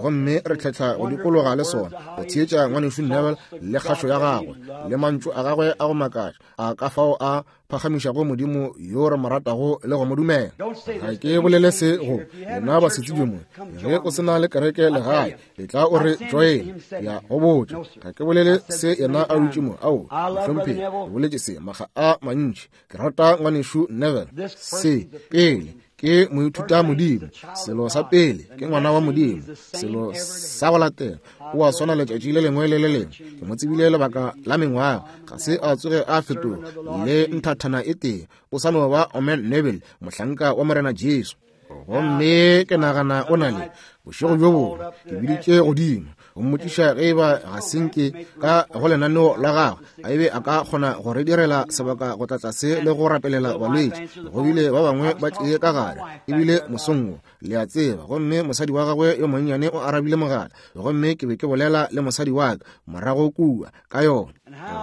gomme re tlhetlha go dikologa le sona go theetša ngwanešu Neville le kgašo ya gagwe le mantšu a gagwe a go makatša a ka fao a phagamišago Modimo yo re mo ratago le go mo dumela. Ga ke bolele se go lena basetsebje mo, ge o se na le kereke legae, etla o re join. Ya go botša, ga ke bolele se yena a dutše mo. Ao, mohlomphegi, ke boletše se makga a mantši. Ke rata ngwanešu Neville. Se pele ke moithuta Modimo, selo sa pele ke ngwana wa Modimo, selo sa go latela o a swana letšatši le lengwe le le lengwe. Ke mo tsebile lebaka la mengwaga, ga se a tsoge a fetoga le nthathana e tee. O sa no ba Omen Neville, mohlanka wa Morena Jesu. Gomme ke nagana o na le bošego bjo bongwe ke biditše godimo go mmotšiša ge e ba ga senke ka go lenaneo la gagwe a ebe a ka kgona go re direla sebaka go tla tlase le go rapelela balwetši. Go bile ba bangwe ba tlie ka gare ebile mosong wo, le a tseba, gomme mosadi wa gagwe yo monnyane o arabile mogala, gomme ke be ke bolela le mosadi wa ka morago kua ka yona.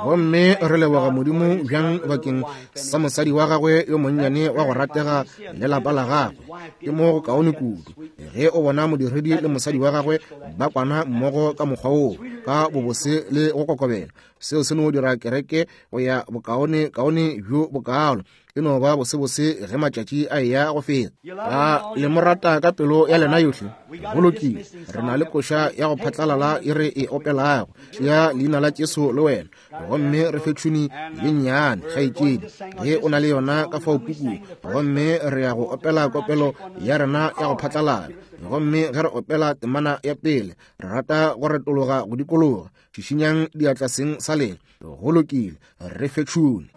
Gomme re leboga Modimo bjang bakeng sa mosadi wa gagwe yo monnyane wa go ratega le lapa la gagwe. Ke mo go kaone kudu ge o bona modiredi le mosadi wa gagwe ba kwana mmogo ka mokgwa woo, ka bobose le go kokobela. Seo se no dira kereke go ya bokaone kaone bjo bokaalo. E no ba bosebose ge matšatši a eya go feta. A le mo rata ka pelo ya lena yohle? Go lokile. Re na le koša ya go phatlalala e re e opelago, tšea leina la Jesu le wena, gomme re fe tšhuni ye nnyane, kgaetšedi, ge o na le yona ka fao pukung, gomme re ya go opela kopelo ya rena ya go phatlalala. Gomme ge re opela temana ya pele, re rata go retologa go dikologa. Šišinyang diatla seng sa lena. Go lokile, re fe tšhuni.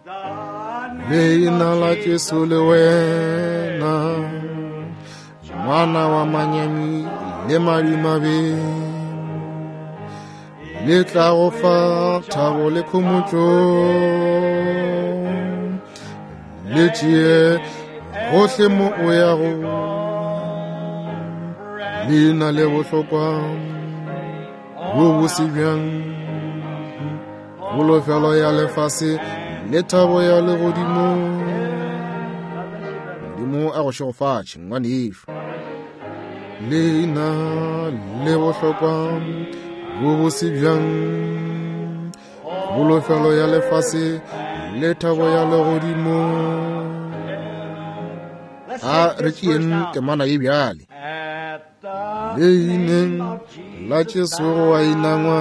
Leina la Jesu le wena, ngwana wa manyami le madimabe, le tla go fa thabo le khomotšo, le tšee gohle mo o yago. Leina le bohlokwa bo bose bjang, kholofelo ya lefase le thabo ya legodimo. Modimo a go šegofatše, ngwanešu. Leina le bohlokwa bo bose bjang, kholofelo ya lefase le thabo ya legodimo. A re tšeeng temana ye bjale. Leineng la Jesu go a inangwa,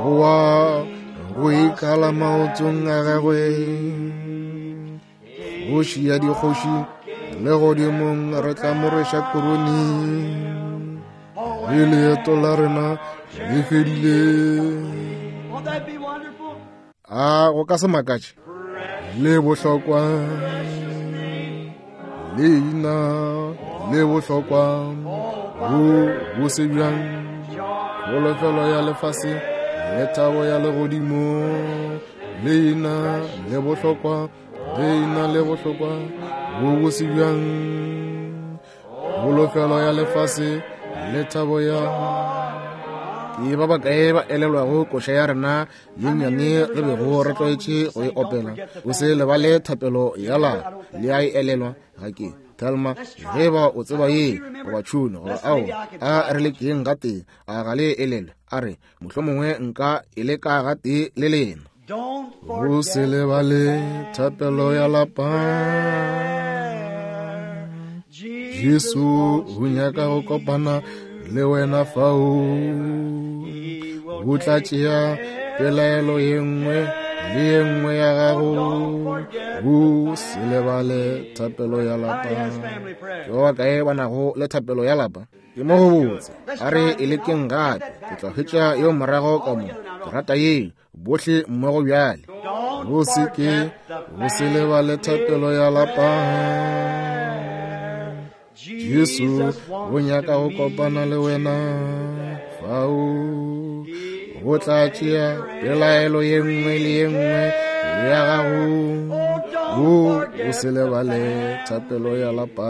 go wa go ikala maotong a gagwe. Kgoši ya dikgoši legodimong re tla mo rweša korone, ge leeto la rena le fedile. A go ka se makatše? Le bohlokwa leina le bohlokwa bo bose bjang, kholofelo ya lefase le thabo ya legodimo. Leina le bohlokwa, leina le bohlokwa bo bose bjang, kholofelo ya lefase le thabo ya. Ke ba bakae ba elelwago koša ya rena ye nnyane re bego re tlwaetše go e opela? O se lebale thapelo ya lapa. Le a e elelwa? Ga ke Thelma, ge ba o tseba ye goba tšhune goba ao, a re lekeng gatee. A ga le elelwe? A re mohlomongwe nka e leka gatee le lena. O se lebale thapelo ya lapa. Jesu o nyaka go kopana le wena fao. O tla tšea pelaelo ye nngwe le ye nngwe ya gago. O se lebale thapelo ya lapa. Ke ba bakae ba nago le thapelo ya lapa? Ke mo go botse. A re e lekeng gape. Ke tla hwetša yo morago ka mo. Ke rata ye. Bohle mmogo bjale. O se ke, o se lebale thapelo ya lapa. Jesu o nyaka go kopana le wena fao. O tla tšea pelaelo ye nngwe le ye nngwe ya gago. O se lebale thapelo ya lapa.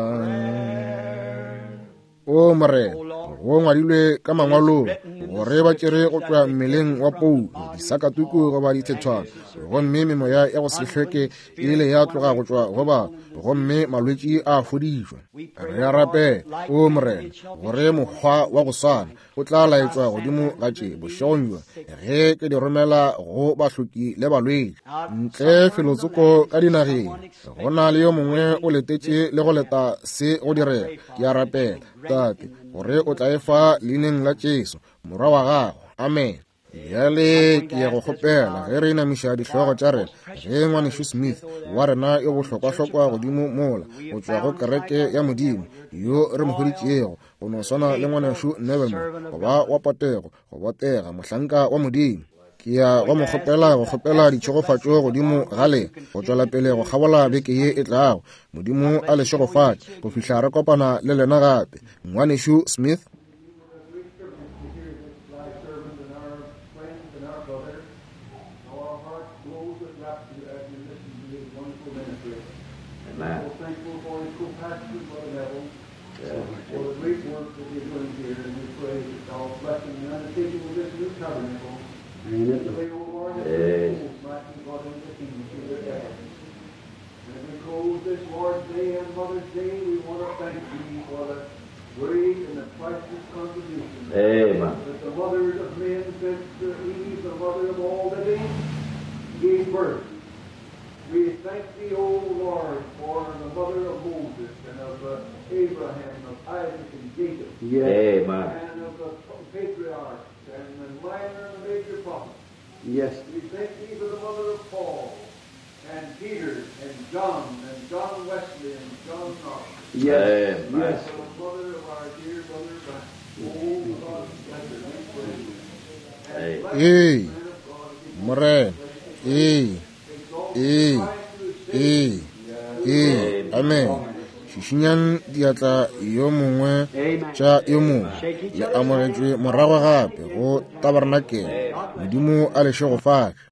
O Morena, go ngwadilwe ka mangwalong gore ba tšere go tšwa mmeleng wa Paulo disakatuku goba dithethwana, gomme memoya ya go se hlweke e ile ya tloga go tšwa go ba, gomme malwetši a fodišwa. Re a rapela, o Morena, gore mokgwa wa go swana o tla laetšwa godimo ga tše bošegong bjo ge ke di romela go bahloki le balwetši ntle felotsoko ka dinageng. Go na le yo mongwe o letetše le go leta se go direga. Ke a rapela, Tate, gore o tla e fa leineng la Jesu, Morwa wa gago. Amen. Bjale ke ya go kgopela ge re inamiša dihlogo tša rena, ge ngwanešu Smith wa rena yo bohlokwahlokwa godimo mola go tšwa go kereke ya Modimo, yo re mo hweditšego go no swana le ngwanešu Neville, go ba wa potego, go botega, mohlanka wa Modimo. Ke ya go mo kgopela go kgopela ditšhegofatšo godimo ga lena go tšwela pele go kgabola beke ye e tlago. Modimo a le šegofatše go fihla re kopana le lena gape. Ngwanešu Smith. Ee, Morena. Ee, ee, ee, ee. Amen. Šišinyang diatla yo mongwe tša yo mongwe. Le amogetšwe morago gape go tabarnakele. Modimo a le šegofatše.